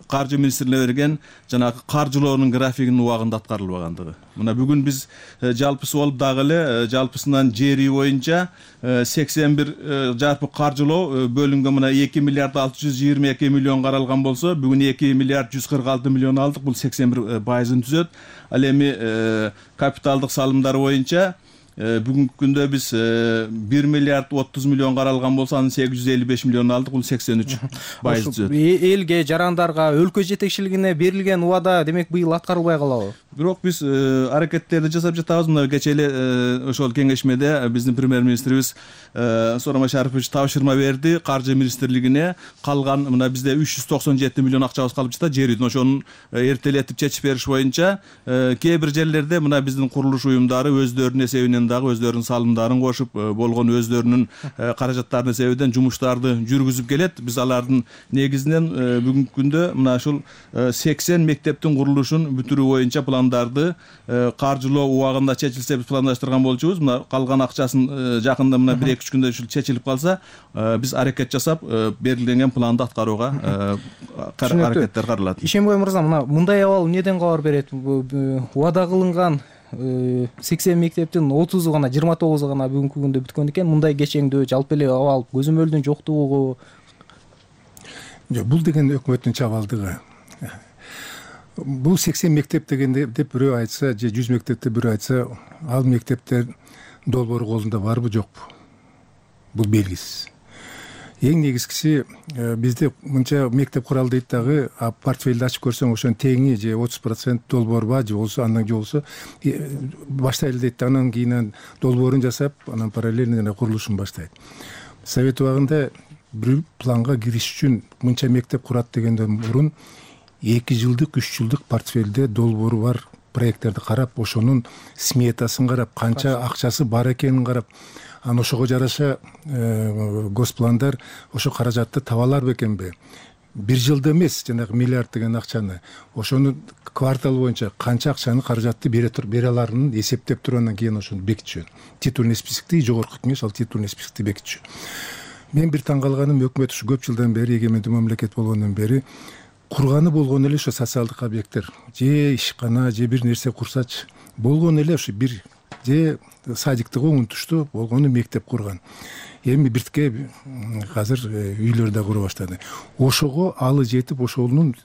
Speaker 19: каржы министрлигине берген жанагы каржылоонун графигинин убагында аткарылбагандыгы. Мына бүгүн биз жалпысы болуп дагы эле жалпысынан жер үй боюнча 81 жарпы каржылоо бөлүнгөн. Мына 2 миллиард 622 миллион каралган болсо, бүгүн 2 миллиард 146 миллион алдык. Бул 81%-ын түзөт. Ал эми капиталдык салымдар боюнча бүгүнкү күндө биз 1 миллиард 30 миллион каралган болсо, анын 855 миллион алдык. Бул 83% түзөт.
Speaker 18: Элге, жарандарга, өлкө жетекчилигине берилген убада демек быйыл аткарылбай калабы?
Speaker 19: Бирок биз аракеттерди жасап жатабыз. Мына кечээ эле ошол кеңешмеде биздин премьер-министрибиз Сооронбай Шарипович тапшырма берди каржы министрлигине. Калган мына бизде 397 миллион акчабыз калып жатат жер үйдүн. Ошону эртелетип чечип бериш боюнча кээ бир жерлерде мына биздин курулуш уюмдары өздөрүнүн эсебинен дагы өздөрүнүн салымдарын кошуп, болгон өздөрүнүн каражаттарынын эсебинен жумуштарды жүргүзүп келет. Биз алардын негизинен бүгүнкү күндө мына ушул 80 мектептин курулушун бүтүрүү боюнча пландарды каржылоо убагында чечилсе биз пландаштырган болчубуз. Мына калган акчасын жакында мына 1-2 күндө ушул чечилип калса, биз аракет жасап берилген планды аткарууга аракеттер каралат.
Speaker 18: Ишенбай мырза, мына мындай абал эмнеден кабар берет? Убада кылынган 80 мектептин 30 гана, 29 гана бүгүнкү күндө бүткөн экен. Мындай кечеңдүү жалпы эле абал көзөмөлдүн жоктугу.
Speaker 20: Жок, бул деген өкмөттүн чабалдыгы. Бул 80 мектеп дегенде деп бирөө айтса, же 100 мектепте бирөө айтса, ал мектептер долбоору колунда барбы жокпу? Бул белгисиз. эң негизгиси бизде мынча мектеп куралы дейт дагы, портфелди ачып көрсөң ошонун теңи же 30% долбоорба же болбосо андан же болбосо баштайлы дейт да, анан кийин долбоорун жасап, анан параллельно курулушун баштайт. Совет убагында бир планга кириш үчүн мынча мектеп курат дегенден мурун 2 жылдык 3 жылдык портфелде долбоору бар проекттерди карап, ошонун сметасын карап, канча акчасы бар экенин карап, анан ошого жараша госпландар ошо каражатты таба алар бекенби, бир жылда эмес жанагы миллиард деген акчаны, ошону квартал боюнча канча акчаны каражатты бере аларын эсептеп туруп, андан кийин ошону бекитишөт. Титульный списокти жогорку кеңеш ал титульный списокти бекитишөт. Мен бир таң калганым, өкмөт ушу көп жылдан бери, эгемендүү мамлекет болгондон бери курганы болгон эле ошо социалдык объекттер, же ишкана, же бир нерсе курсачы болгон эле ошо бир, же садиктыгы унутушту болгону мектеп курган. Эми биртке азыр үйлөр да кура баштады. Ошого алы жетип, ошонун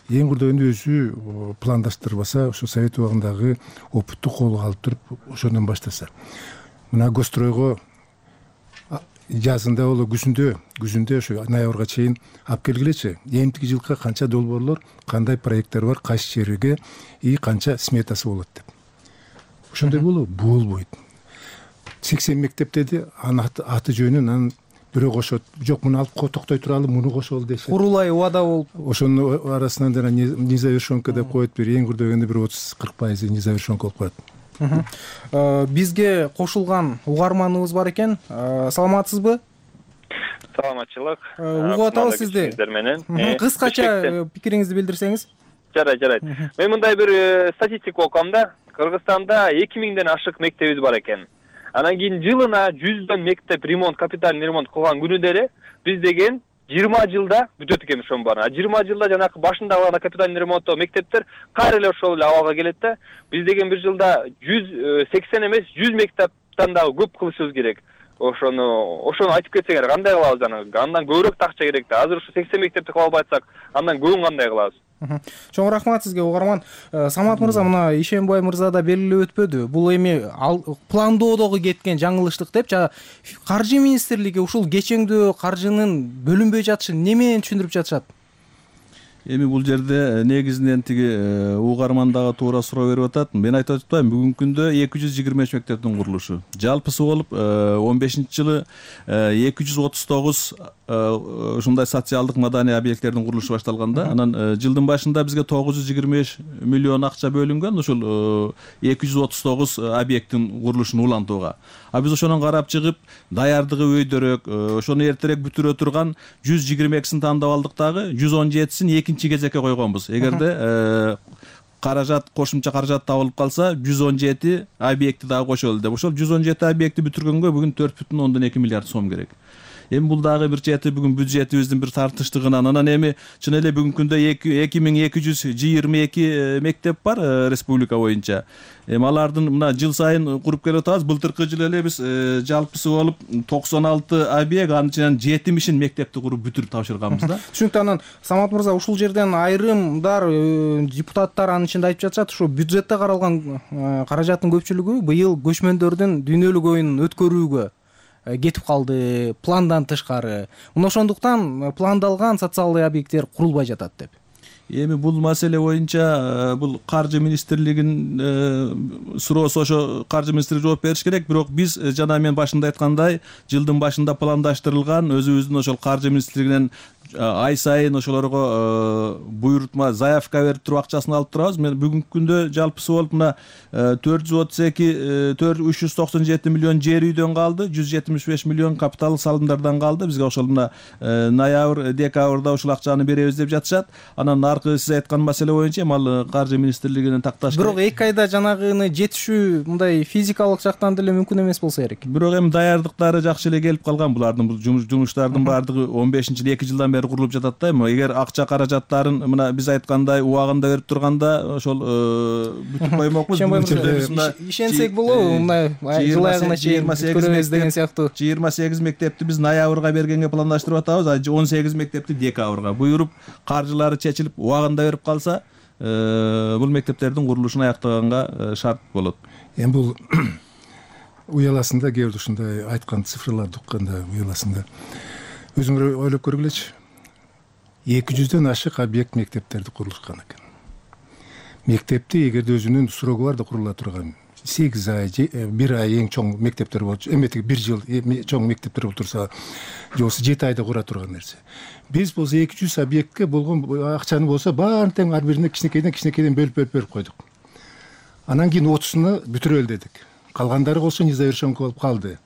Speaker 20: эң курдөгүндө өзү пландаштырбаса, ошо Совет убагындагы опытту колго алып туруп, ошондон баштаса. Мына Гостройго жазында боло күзүндө ошо ноябрга чейин алып келгилечи. Эмтиги жылкы канча долбоорлор, кандай проекттер бар, кайсы жерге и канча сметасы болот деп. Ошондой болбойт. 80 мектеп деди, анын аты жөнүн анан бирөө кошот. Жок, муну алып токтой туралы, муну кошолу дешет.
Speaker 18: Курулай убада болуп,
Speaker 20: ошонун арасынан жана незавершенка деп коет, бир эң курдөгөндө бир 30-40% незавершенка болуп калат.
Speaker 18: Бизге кошулган угарманыбыз бар экен. Саламатсызбы?
Speaker 13: Саламатчылык.
Speaker 18: Угуп атабыз сизди. Кыскача пикириңизди билдирсеңиз.
Speaker 13: Жарайт. Мен мындай бир статистика окугам да. Кыргызстанда 2000ден ашык мектебиз бар экен. Анан кийин жылына 100дөн мектеп ремонт, капитальный ремонт кылган күнү биз деген 20 жылда бүтөт экен ошонун баарын. 20 жылда жанакы башында кылган капитальный ремонттоо мектептер кайра эле ошол эле абалга келет да. Биз деген бир жылда 180 эмес 100 мектептен дагы көп кылышыбыз керек. Ошону айтып кетсеңер кандай кылабыз жанагы? Андан көбүрөөк акча керек да. Азыр ушу 80 мектепти кыла албай атсак, андан көбүн кандай кылабыз?
Speaker 18: Чоң рахмат сизге, угарман. Самат мырза, мына Ишенбай мырза да белгилеп өтпөдү. Бул эми пландоодогу кеткен жаңылыштык деп, каржы министрлиги ушул кечеңдүү каржынын бөлүнбөй жатышын немен түшүндүрүп жатышат?
Speaker 19: Эми бул жерде негизинен тиги угарман дагы туура суроо берип атат. Мен айтып атпаймынбы, бүгүнкү күндө 223 мектептин курулушу. Жалпысы болуп 15-жылы 239 ушундай социалдык маданий объекттердин курулушу башталганда, анан жылдын башында бизге 925 миллион акча бөлүнгөн ушул 239 объекттин курулушун улантууга. А биз ошонун карап чыгып, даярдыгы өйдөрөөк, ошону эртерээк бүтүрө турган 122син тандап алдык дагы, 117син экинчи кезекке койгонбуз. Эгерде каражат, кошумча каражат табылып калса, 117 объекти дагы кошолу деп. Ошол 117 объекти бүтүргөнгө бүгүн 4,2 миллиард сом керек. Эми бул дагы бир чети бүгүн бюджетибиздин бир тартыштыгынан. Анан эми чын эле бүгүнкү күндө 2222 мектеп бар республика боюнча. Эми алардын мына жыл сайын куруп келип атабыз. Былтыркы жылы эле биз жалпысы болуп 96 объект, анын ичинен 70 мектепти куруп бүтүрүп тапшырганбыз да.
Speaker 18: Түшүнүктүү. Анан Самат мырза, ушул жерден айрымдар депутаттар анын ичинде айтып жатышат, ушу бюджетте каралган каражаттын көпчүлүгү быйыл көчмөндөрдүн дүйнөлүк оюнун өткөрүүгө кетип калды, пландан тышкары. Мына ошондуктан пландалган социалдык объекттер курулбай жатат деп.
Speaker 19: Эми бул маселе боюнча бул каржы министрлигинин суроосу, ошо каржы министрлиги жооп бериш керек. Бирок биз жана мен башында айткандай, жылдын башында пландаштырылган, өзүбүздүн ошол каржы министрлигинен ай сайын ошолорго буйрутма, заявка берип туруп акчасын алып турабыз. Мен бүгүнкү күндө жалпысы болуп мына 397 миллион жер үйдөн калды, 175 миллион капиталдык салымдардан калды. Бизге ошол мына ноябрь, декабрда ушул акчаны беребиз деп жатышат. Анан аркы сиз айткан маселе боюнча ал каржы министрлигинин такташ.
Speaker 18: Бирок 2 айда жанагыны жетишүү мындай физикалык жактан деле мүмкүн эмес болсо керек.
Speaker 19: Бирок эми даярдыктары жакшы эле келип калган. Булардын бул жумуштардын баардыгы 15-жылы 2 жылдан бери курулуп жатат да. Эгер акча каражаттарын мына биз айткандай убагында берип турганда ошол бүтүп коймокпуз.
Speaker 18: Ишенсек болобу, мына жыл айыгына чейин көрөбүз деген сыяктуу.
Speaker 19: 28 мектепти биз ноябрга бергенге пландаштырып атабыз, 18 мектепти декабрга буйруп, каржылары чечилип убагында берип калса, бул мектептердин курулушун аяктаганга шарт болот.
Speaker 20: Эми бул уяласында кээ бир ушундай айткан цифрларды укканда уяласында өзүңөр ойлоп көргүлөчү. 200дөн ашык объект мектептерди курулушкан экен. Мектепти эгерде өзүнүн срогу бар да курула турган 8 ай, 1 ай эң чоң мектептер болчу. Эметиги 1 жыл чоң мектептер болуп турса, же болбосо 7 айда кура турган нерсе. Биз болсо 200 объектке болгон акчаны болсо баарын тең ар бирине кичинекейден бөлүп койдук. Анан кийин 30-уну бүтүрөлү дедик. Калгандары болсо незавершенный болуп калды.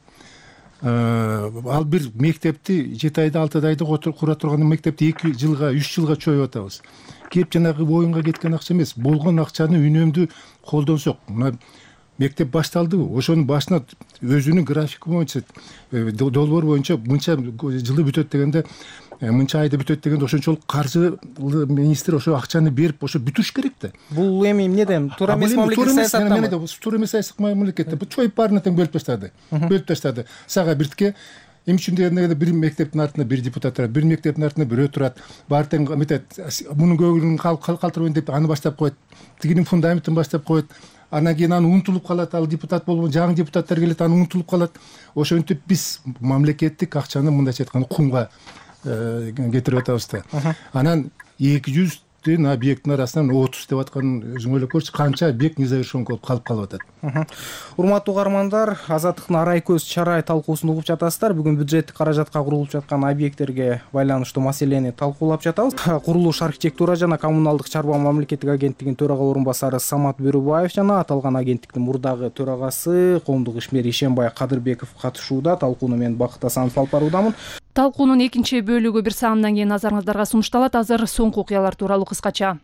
Speaker 20: Ал бир мектепти 7 айда 6 айда кура турган мектепти 2 жылга 3 жылга чоюп атабыз. Кеп жанагы оюнга кеткен акча эмес, болгон акчаны үнөмдүү колдонсок, мына мектеп башталдыбы, ошонун башына өзүнүн графиги боюнча, долбоор боюнча мынча жылы бүтөт дегенде, мынча айда бүтөт дегенде ошончолук каржы министр ошо акчаны берип ошо бүтүрүш керек да.
Speaker 18: Бул эми эмнеден туура эмес мамлекеттик саясаттан.
Speaker 20: Туура эмес саясат мамлекетте чоюп баарына тең бөлүп таштады. Сага биртке эмне үчүн дегенде бир мектептин артында бир депутат турат, бир мектептин артында бирөө турат. Баары тең эметет, мунун көңүлүн калтырбайын деп аны баштап коет. Тигинин фундаментин баштап коет. Анан кийин аны унутулуп калат, ал депутат болгон жаңы депутаттар келет, аны унутулуп калат. Ошентип биз мамлекеттик акчаны мындайча айтканда кумга кетирип атабыз да. Анан 200 объекттин арасынан 30 деп атканын өзүң ойлоп көрчү, канча объект незавершенный болуп калып атат.
Speaker 18: Урматтуу угармандар, Азаттыктын арай көз чарай талкуусун угуп жатасыздар. Бүгүн бюджеттик каражатка курулуп жаткан объекттерге байланыштуу маселени талкуулап жатабыз. Курулуш, архитектура жана коммуналдык чарба мамлекеттик агенттигинин төрага орун басары Самат Бөрүбаев жана аталган агенттиктин мурдагы төрагасы коомдук ишмер Ишенбай Кадырбеков катышууда. Талкууну мен Бакыт Асанов алып баруудамын.
Speaker 1: Талкуунун экинчи бөлүгү бир саамдан кийин назарыңыздарга сунушталат. Азыр соңку окуялар тууралуу кыскача.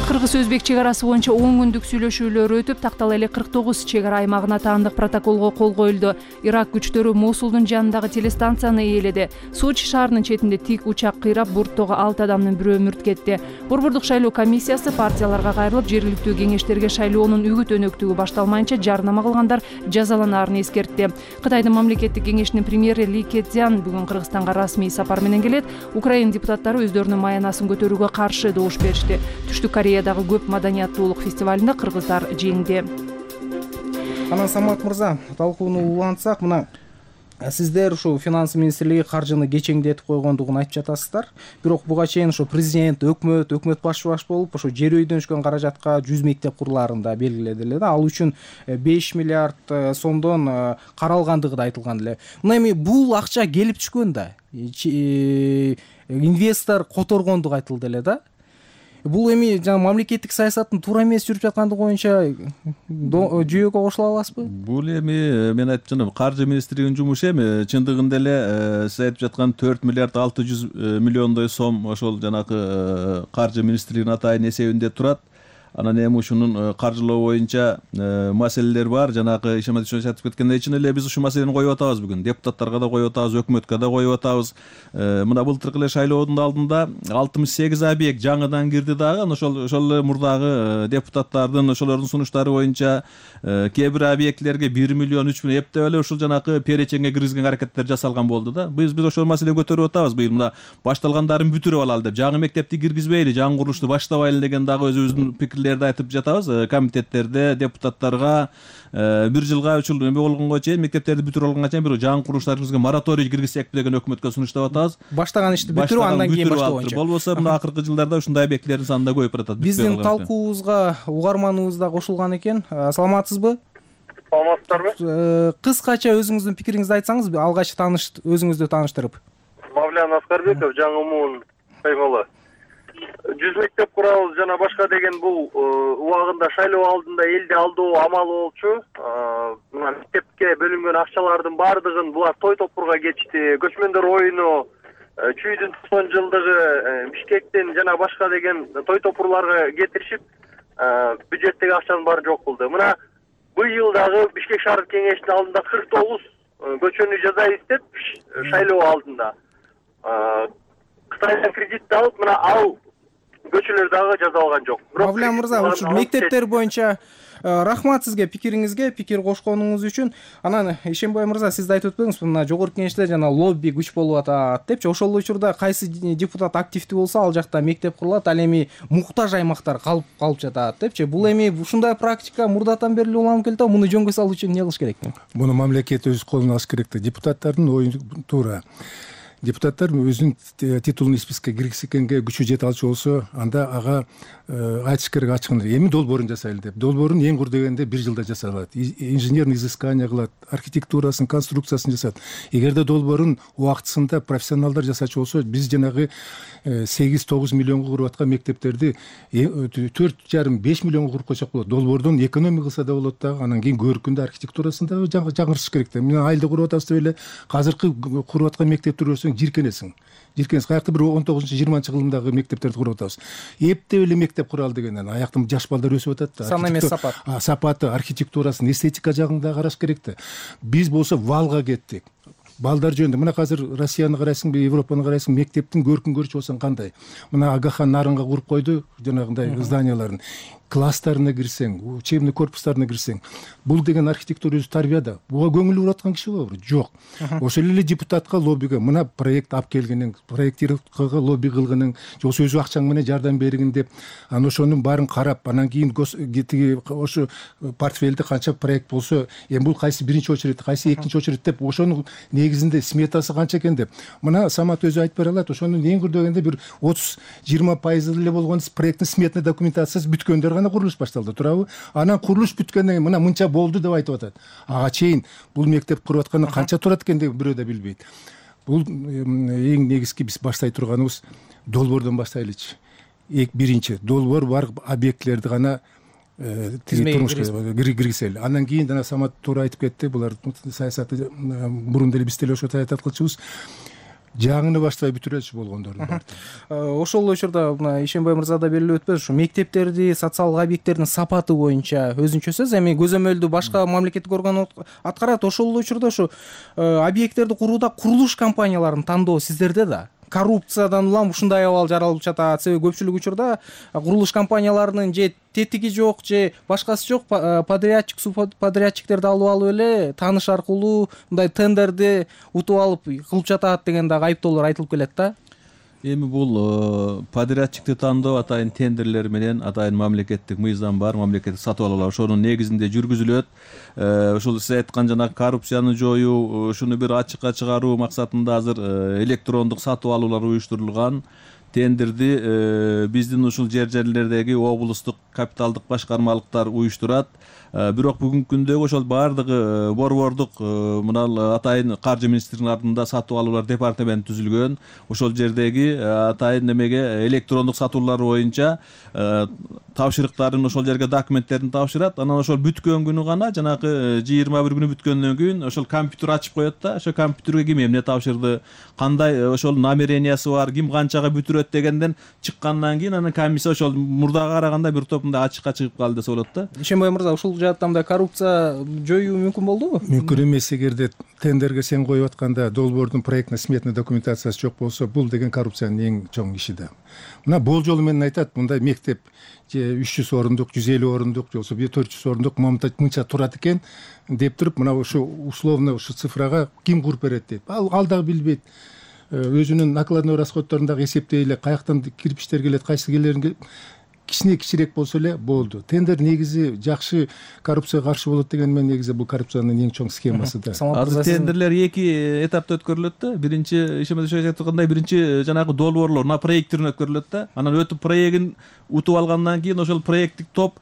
Speaker 1: Кыргыз-өзбек чек арасы боюнча 10 күндүк сүйлөшүүлөр өтүп, тактала эле 49 чек ара аймагына таандык протоколго кол коюлду. Ирак күчтөрү Мосулдун жанындагы телестанцияны ээледи. Сочи шаарынын четинде тик учак кыйрап, борттогу 6 адамдын бирөө мүрт кетти. Борбордук шайлоо комиссиясы партияларга кайрылып, жергиликтүү кеңештерге шайлоонун үгүт өнөктүгү башталмайынча жарнама кылгандар жазаланаарын эскертти. Кытайдын мамлекеттик кеңешинин премьери Ли Кэцзян бүгүн Кыргызстанга расмий сапар менен келет. Украина депутаттары өздөрүнүн маянасын көтөрүүгө каршы добуш беришти. Түштүк Кореядагы көп маданияттуулук фестивалында кыргыздар жеңди.
Speaker 18: Анан Самат мырза, талкууну улантсак, мына сиздер ушу финанс министрлиги каржыны кечеңдетип койгондугун айтып жатасыздар. Бирок буга чейин ушу президент, өкмөт баш болуп, ошо жер үйдөн түшкөн каражатка 100 мектеп курулаарын да белгиледи эле да. Ал үчүн 5 миллиард сомдон каралгандыгы да айтылган эле. Мына эми бул акча келип түшкөн да. Инвестор которгондугу айтылды эле да. Бул эми жана мамлекеттик саясаттын туура эмес жүрүп жаткандыгы боюнча жүйөгө кошула аласызбы?
Speaker 19: Бул эми мен айтып жатам, каржы министрлигинин жумушу эми чындыгында эле сиз айтып жаткан 4 миллиард 600 миллиондой сом ошол жанагы каржы министрлигинин атайын эсебинде турат. Анан эми ушунун каржылоо боюнча маселелер бар. Жанагы Ишенбай айтып кеткендей чын эле биз ушул маселени коюп атабыз бүгүн. Депутаттарга да коюп атабыз, өкмөткө да коюп атабыз. Мына былтыркы эле шайлоонун алдында 68 объект жаңыдан кирди дагы. Ошол мурдагы депутаттардын ошолордун сунуштары боюнча кээ бир объектлерге 1 миллион 3 миллион эптеп эле ушул жанагы перечеңге киргизген аракеттер жасалган болду да. Биз ошол маселени көтөрүп атабыз. Быйыл мына башталгандарын бүтүрүп алалы деп, жаңы мектепти киргизбейли, жаңы курулушту баштабайлы деген дагы өзүбүздүн айтып жатабыз. Комитеттерде депутаттарга 1 жылга 3 жыл эме болгонго чейин, мектептерди бүтүрүп алганга чейин бир жаңы курулуштарыбызга мораторий киргизсекпи деген өкмөткө сунуштап атабыз.
Speaker 18: Баштаган ишти бүтүрүп, андан кийин баштоо боюнча.
Speaker 19: Болбосо мына акыркы жылдарда ушундай объектилердин саны да көбөйүп баратат.
Speaker 18: Биздин талкуубузга угарманыбыз да кошулган экен. Саламатсызбы?
Speaker 4: Саламатсыздарбы?
Speaker 18: Кыскача өзүңүздүн пикириңизди айтсаңыз, алгач өзүңүздү тааныштырып.
Speaker 4: Мавлян Аскарбеков, Жаңы Муун Каймалы. 100 мектеп курабыз жана башка деген бул убагында шайлоо алдында элди алдоо амалы болчу. Мына мектепке бөлүнгөн акчалардын баардыгын булар той топурга кетишти. Көчмөндөр оюну, чүйдүн 90 жылдыгы, Бишкектен жана башка деген той топурларга кетиришип, бюджеттеги акчанын баары жок кылды. Мына быйыл дагы Бишкек шаардык кеңешинин алдында 49 көчөнү жасайбыз деп шайлоо алдында Кытайдан кредит алып, мына ал көчөлөр дагы жасалган жок.
Speaker 18: Мавлен мырза, ушул мектептер боюнча рахмат сизге пикириңизге, пикир кошконуңуз үчүн. Анан Ишенбай мырза, сиз да айтып өтпөңүз, мына жогорку кеңеште жана лобби күч болуп атат депчи. Ошол учурда кайсы депутат активдүү болсо, ал жакта мектеп курулат, ал эми муктаж аймактар калып жатат депчи. Бул эми ушундай практика мурдатан бери уланып келет, муну жөнгө салуу үчүн эмне кылыш керек?
Speaker 20: Муну мамлекет өз колуна алыш керек да. Депутаттардын ою туура. Депутаттар өзүнүн титулун спискке киргизгенге күчү жете алчу болсо, анда ага айтыш керек ачык. Эми долбоорун жасайлы деп. Долбоорун эң кур дегенде 1 жылда жасалат. Инженерный изыскание кылат, архитектурасын, конструкциясын жасат. Эгерде долбоорун убактысында профессионалдар жасачу болсо, биз жанагы 8-9 миллионго куруп аткан мектептерди 4,5-5 миллионго куруп койсок болот. Долбоордон экономия кылса да болот да, анан кийин көркүндө архитектурасын да жаңыртыш керек да. Мен айылда куруп атабыз деп эле азыркы куруп аткан мектепти көрсөң жиркенесиң. Каякта бир 19-20 кылымдагы мектептерди куруп атабыз. Эптеп эле мектеп куралы дегенден аяктын жаш балдар өсүп атат да.
Speaker 18: Сан эмес сапат.
Speaker 20: Сапаты, архитектурасын, эстетика жагын да караш керек да. Биз болсо валга кеттик. Балдар жөнүндө мына азыр Россияны карайсыңбы, Европаны карайсың, мектептин көркүн көрчү болсоң кандай? Мына Агахан Нарынга куруп койду жанагындай зданияларын. Класстарына кирсең, учебный корпустарына кирсең, бул деген архитектура өзү тарбия да. Буга көңүл буруп аткан киши болбу? Жок. Ошол эле депутатка лоббиге мына проект алып келгениң, проектировкага лобби кылгының, жоксо өзү акчаң менен жардам бергин деп, анан ошонун баарын карап, анан кийин ошо портфелде канча проект болсо, эми бул кайсы биринчи очередь, кайсы экинчи очередь деп, ошонун негизинде сметасы канча экен деп. Мына Самат өзү айтып бере алат, ошонун эң көрдөгөндө бир 30-20% эле болгон проекттин сметный документациясы бүткөндөр гана курулуш башталды, туурабы? Анан курулуш бүткөндөн кийин мына мынча болду деп айтып атат. Ага чейин бул мектеп куруп атканда канча турат экен деп бирөө да билбейт. Бул эң негизги биз баштай турганыбыз долбоордон баштайлычы. Биринчи долбоор бар объектилерди гана турмушка киргизели. Андан кийин жана Самат туура айтып кетти, булар саясатты мурун деле биз деле ошо саясат кылчубуз. Жаңыны баштабай бүтүрөлчү болгондордун бар.
Speaker 18: Ошол учурда мына Ишенбай мырза да белгилеп өтпөсү, ушу мектептерди, социалдык объекттердин сапаты боюнча өзүнчө сөз, эми көзөмөлдү башка мамлекеттик орган аткарат. Ошол учурда ушу объекттерди курууда курулуш компанияларын тандоо сиздерде да. Коррупциядан улам ушундай абал жаралып жатат. Себеби көпчүлүк учурда курулуш компанияларынын же тетиги жок, же башкасы жок, подрядчик, субподрядчиктерди алып эле тааныш аркылуу мындай тендерди утуп алып кылып жатат деген дагы айыптоолор айтылып келет да.
Speaker 19: Эми бул подрядчикти тандоо атайын тендерлер менен атайын мамлекеттик мыйзам бар, мамлекеттик сатып алуулар ошонун негизинде жүргүзүлөт. Ушул сиз айткан жанагы коррупцияны жоюу, ушуну бир ачыкка чыгаруу максатында азыр электрондук сатып алуулар уюштурулган. Тендерди биздин ушул жерлердеги облустук капиталдык башкармалыктар уюштурат. Бирок бүгүнкү күндөгү ошол баардыгы борбордук мына атайын каржы министрлигинин артында сатып алуулар департаменти түзүлгөн. Ошол жердеги атайын немеге электрондук сатуулар боюнча тапшырыктарын ошол жерге документтерин тапшырат. Анан ошол бүткөн күнү гана жанагы 21 күнү бүткөндөн кийин ошол компьютер ачып коет да. Ошол компьютерге ким эмне тапшырды, кандай ошол намерениясы бар, ким канчага бүтүрөт дегенден чыккандан кийин анан комиссия ошол мурдага караганда бир топ мындай ачыкка чыгып калды десе болот да.
Speaker 18: Ишенбай мырза, ушул жаатта мындай коррупция жоюу мүмкүн болдубу?
Speaker 20: Мүмкүн эмес. Эгерде тендерге сен коюп атканда долбоордун проектный сметный документациясы жок болсо, бул деген коррупциянын эң чоң иши да. Мына болжол менен айтат, мындай мектеп же 300 орундук, 150 орундук, же болсо 400 орундук мынча турат экен деп туруп, мына ушу условно ушу цифрага ким куруп берет дейт. Ал дагы билбейт. Өзүнүн накладной расходдорун дагы эсептей эле, каяктан кирпичтер келет, кайсы келерин кичирээк болсо эле болду. Тендер негизи жакшы коррупцияга каршы болот деген менен негизи бул коррупциянын эң чоң схемасы да.
Speaker 19: Азыр тендерлер 2 этапта өткөрүлөт да. Биринчи ишемеде айткандай биринчи жанагы долбоорлор на проекттин өткөрүлөт да. Анан өтүп проектин утуп алгандан кийин ошол проекттик топ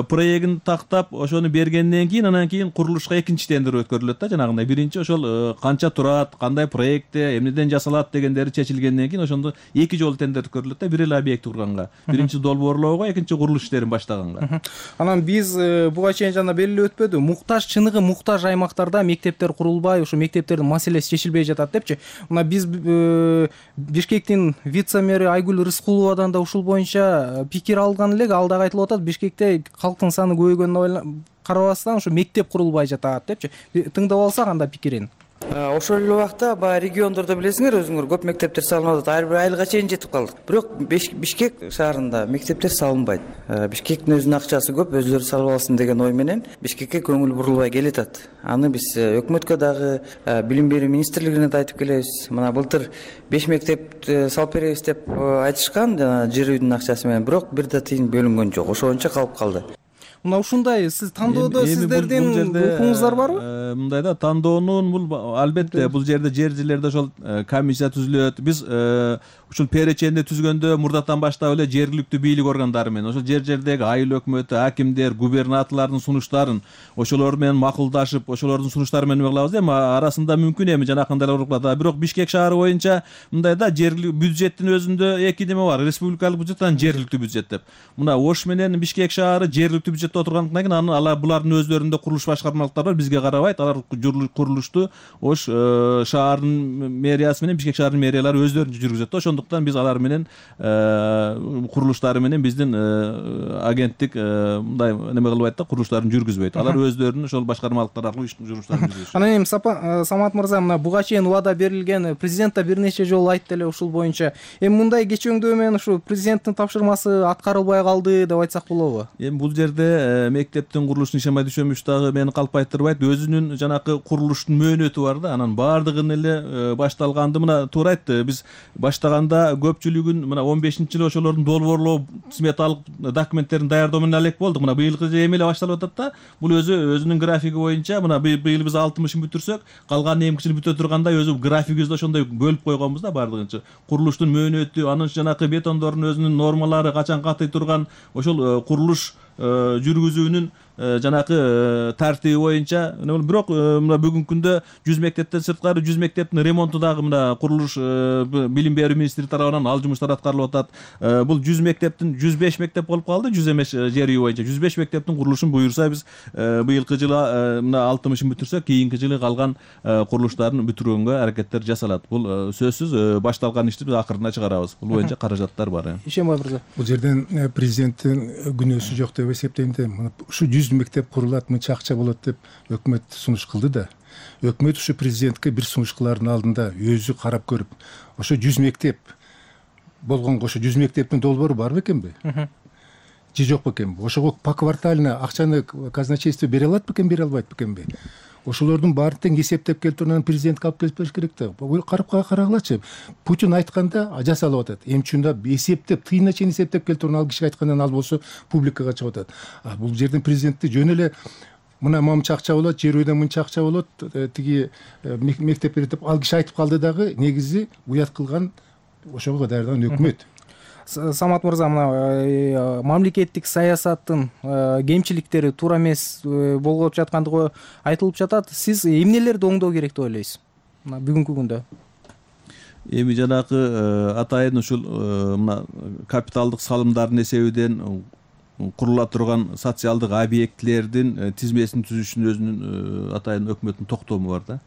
Speaker 19: проектин тактап ошону бергенден кийин анан кийин курулушка экинчи тендер өткөрүлөт да. Жанагындай биринчи ошол канча турат, кандай проектте, эмнеден жасалат дегендери чечилгенден кийин ошондо 2 жолу тендер өткөрүлөт да. Бир эле объект курганга. Биринчи долбоорлоо, экинчи курулуш иштерин баштаганга.
Speaker 18: Анан биз буга чейин жана белгилеп өтпөдү, муктаж, чыныгы муктаж аймактарда мектептер курулбай, ошо мектептердин маселеси чечилбей жатат депчи. Мына биз Бишкектин вице-мэри Айгүл Рыскуловадан да ушул боюнча пикир алган элек. Ал дагы айтылып атат, Бишкекте калктын саны көбөйгөнүнө карабастан ушу мектеп курулбай жатат депчи. Тыңдап алсак анда пикирин.
Speaker 21: Ошол эле убакта баягы региондордо билесиңер өзүңөр көп мектептер салынып атат. Ар бир айылга чейин жетип калдык. Бирок Бишкек шаарында мектептер салынбайт. Бишкектин өзүнүн акчасы көп, өзүлөрү салып алсын деген ой менен Бишкекке көңүл бурулбай келатат. Аны биз өкмөткө дагы, билим берүү министрлигине да айтып келебиз. Мына былтыр 5 мектеп салып беребиз деп айтышкан, жана жер үйдүн акчасы менен, бирок бир да тыйын бөлүнгөн жок. Ошончо калып калды.
Speaker 18: Мына ушундай сиз тандоодо сиздердин укугуңуздар барбы?
Speaker 19: Мындай да, тандоонун бул албетте бул жерде жерлерде ошол комиссия түзүлөт. Биз ушул переченди түзгөндө мурдатан баштап эле жергиликтүү бийлик органдары менен ошол жердеги айыл өкмөтү, акимдер, губернаторлордун сунуштарын ошолор менен макулдашып, ошолордун сунуштары менен кылабыз. Эми арасында мүмкүн эми жанакындай урукпада. Бирок Бишкек шаары боюнча мындай да, жергиликтүү бюджеттин өзүндө эки неме бар. Республикалык бюджет менен жергиликтүү бюджет деп. Мына Ош менен Бишкек шаары жергиликтүү бюджетте отургандан кийин анан булардын өздөрүндө курулуш башкармалыктары бар, бизге карабайт. Алар курулушту Ош шаарынын мэриясы менен Бишкек шаарынын мэриялары өздөрүнчө жүргүзөт. Ошондуктан биз алар менен курулуштары менен биздин агенттик мындай неме кылбайт да, курулуштарын жүргүзбөйт. Алар өздөрүнүн ошол башкармалыктар аркылуу жүрүштарын жүргүзөт.
Speaker 18: Анан эми Самат мырза, мына буга чейин убада берилген, президент да бир нече жолу айтты эле ушул боюнча. Эми мындай кечөңдөө менен ушу президенттин тапшырмасы аткарылбай калды деп айтсак болобу?
Speaker 19: Эми бул жерде мектептин курулушун ишемай düşөмүш дагы мени калпайтырбайт. Өзүнүн жанакы курулуштун мөөнөтү бар да, анан баардыгын эле башталганды мына туура айтты. Биз баштаганда көпчүлүгүн мына 15-жылы ошолордун долбоорлоо сметалык документтерин даярдоо менен элек болдук. Мына быйылкы эми эле башталып атат да. Бул өзүнүн графиги боюнча мына быйыл биз 60-ын бүтүрсөк, калган эмки жыл бүтө тургандай өзү графигибизди ошондой бөлүп койгонбуз да баардыгынча. Курулуштун мөөнөтү, анын жанакы бетондордун өзүнүн нормалары, качан катый турган, ошол курулуш жүргүзүүнүн жанакы тартиби боюнча. Бирок мына бүгүнкү күндө 100 мектептен сырткары 100 мектептин ремонту дагы мына курулуш билим берүү министрлиги тарабынан ал жумуштар аткарылып атат. Бул 100 мектептин 105 мектеп болуп калды, 100 эмес жер үй боюнча. 105 мектептин курулушун буюрса биз быйылкы жылы мына 60-ын бүтүрсөк, кийинки жылы калган курулуштарын бүтүргөнгө аракеттер жасалат. Бул сөзсүз башталган ишти биз акырына чыгарабыз. Бул боюнча каражаттар бар.
Speaker 18: Ишенбай мырза.
Speaker 20: Бул жерден президенттин күнөөсү жок деп эсептейм да. Ушу 100 мектеп курулат, мынча акча болот деп өкмөт сунуш кылды да. Өкмөт ушу президентке бир сунуш кылардын алдында өзү карап көрүп, ошо 100 мектеп болгонго ошо 100 мектептин долбоору бар бекенби? Же жок бекенби? Ошого поквартально акчаны казначейство бере алат бекен, бере албайт бекенби? Ошолордун баарын тең эсептеп келип турган президентке алып келип бериш керек да. Карагылачы. Путин айтканда жасалып атат. Эми чында эсептеп, тыйына чейин эсептеп келип турган ал киши айткандан ал болсо публикага чыгып атат. Бул жердин президенти жөн эле мына мынча акча болот, жер үйдөн мынча акча болот, тиги мектеп берет деп ал киши айтып калды дагы, негизи уят кылган ошого даярдаган өкмөт.
Speaker 18: Самат мырза, мына мамлекеттик саясаттын кемчиликтери туура эмес болуп жаткандыгы айтылып жатат. Сиз эмнелерди оңдоо керек деп ойлойсуз мына бүгүнкү күндө?
Speaker 19: Эми жанакы атайын ушул мына капиталдык салымдардын эсебинен курула турган социалдык объектилердин тизмесин түзүшүн өзүнүн атайын өкмөттүн токтому бар да.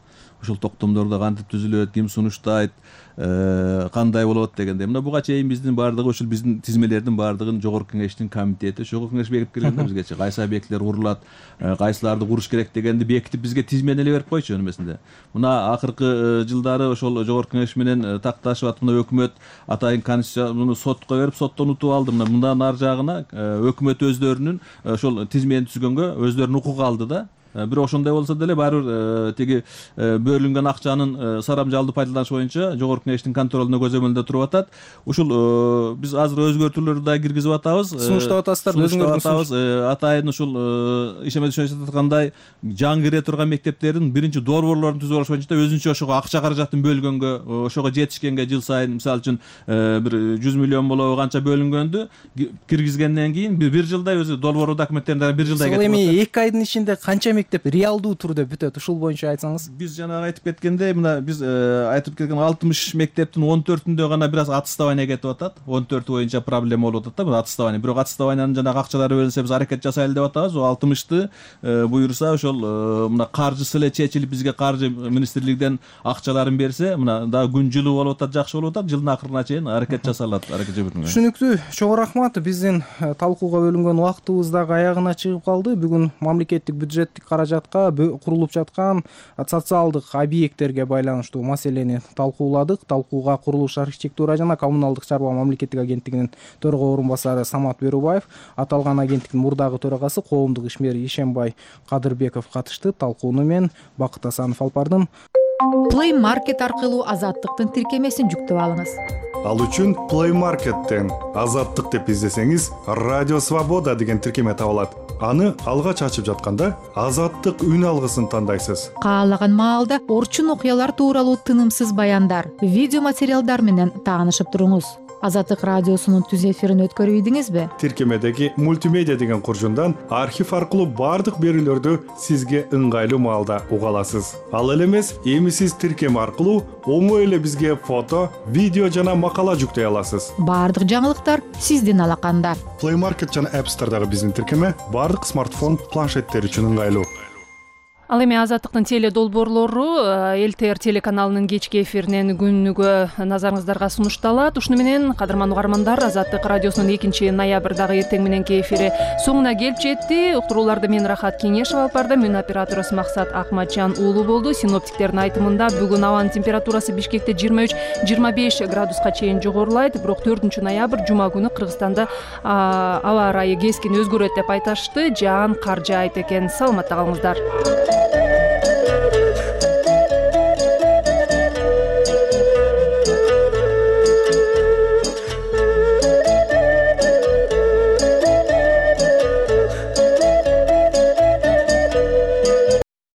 Speaker 19: Ошол токтомдордо кантип түзүлөт, ким сунуштайт, кандай болот дегенде. Мына буга чейин биздин баардыгы ушул биздин тизмелердин баардыгын жогорку кеңештин комитети, жогорку кеңеш бекитип келген бизгечи. Кайсы объектилер курулат, кайсыларды куруш керек дегенди бекитип бизге тизмени эле берип койчу эмесинде. Мына акыркы жылдары ошол жогорку кеңеш менен такташып атып өкмөт атайын конституцияны сотко берип, соттон утуп алды. Мындан ар жагына өкмөт өздөрүнүн ошол тизмени түзгөнгө өздөрүнүн укугу алды да. Бирок ошондой болсо деле баары бир тиги бөлүнгөн акчанын сарамжалдуу пайдаланыш боюнча жогорку кеңештин контролуна көзөмөлдө туруп атат. Ушул биз азыр өзгөртүүлөрдү да киргизип атабыз.
Speaker 18: Сунуштап атасыздар,
Speaker 19: өзүңөрдүн атайын ушул ишеме түшүнүп аткандай жаңы кире турган мектептердин биринчи долбоорлорун түзүп алыш боюнча өзүнчө ошого акча каражатын бөлгөнгө, ошого жетишкенге жыл сайын мисалы үчүн бир 100 миллион болобу канча бөлүнгөндү киргизгенден кийин бир жылда өзү долбоор документтерин бир жылда кетип.
Speaker 18: Эми 2 айдын ичинде канча мектеп реалдуу түрдө бүтөт? Ушул боюнча айтсаңыз.
Speaker 19: Биз жана айтып кеткендей, мына биз айтып кеткен 60 мектептин 14-үндө гана бир аз аттестование кетип атат. 14 боюнча проблема болуп атат да, бул аттестование. Бирок аттестованиянын жана акчалары бөлүнсө биз аракет жасайлы деп атабыз. 60-ты буюрса ошол мына каржысы эле чечилип бизге каржы министрлигинен акчаларын берсе, мына дагы күн жылуу болуп атат, жакшы болуп атат. Жылдын акырына чейин аракет жасалат, аракет жүргүзүлөт.
Speaker 18: Түшүнүктүү. Чоң рахмат. Биздин талкууга бөлүнгөн убактыбыз дагы аягына чыгып калды. Бүгүн мамлекеттик бюджеттик каражатка курулуп жаткан социалдык объекттерге байланыштуу маселени талкууладык. Талкууга курулуш, архитектура жана коммуналдык чарба мамлекеттик агенттигинин төрага орун басары Самат Берубаев, аталган агенттиктин мурдагы төрагасы коомдук ишмер Ишембай Кадырбеков катышты. Талкууну мен Бакыт Асанов алып бардым.
Speaker 8: Play Market аркылуу Азаттыктын тиркемесин жүктөп алыңыз.
Speaker 16: Ал үчүн Play Market'тен Азаттык деп издесеңиз, Радио Свобода деген тиркеме табылат. Аны алгач ачып жатканда Азаттык үн алгысын тандайсыз.
Speaker 8: Каалаган маалда орчун окуялар тууралуу тынымсыз баяндар, видео материалдар менен таанышып туруңуз. Азаттык радиосунун түз эфирин өткөрүп ийдиңизби?
Speaker 16: Тиркемедеги мультимедиа деген куржундан архив аркылуу бардык берүүлөрдү сизге ыңгайлуу маалда уга аласыз. Ал эле эмес, эми сиз тиркеме аркылуу оңой эле бизге фото, видео жана макала жүктөй аласыз.
Speaker 8: Бардык жаңылыктар сиздин алаканда.
Speaker 16: Play Market жана App Store'дагы биздин тиркеме бардык смартфон, планшеттер үчүн ыңгайлуу.
Speaker 1: Ал эми Азаттыктын теле долбоорлору ЛТР телеканалынын кечки эфиринен күнүгө назарыңыздарга сунушталат. Ушуну менен кадырман угармандар, Азаттык радиосунун 2-ноябрдагы эртең мененки эфири соңуна келип жетти. Уктурууларды мен Рахат Кеңешова алып бардым. Мен оператору Максат Акматжан уулу болду. Синоптиктердин айтымында бүгүн абанын температурасы Бишкекте 23-25 градуска чейин жогорулайт. Бирок 4-ноябрь жума күнү Кыргызстанда аба ырайы кескин өзгөрөт деп айтышты. Жаан кар жаайт экен. Саламатта калыңыздар.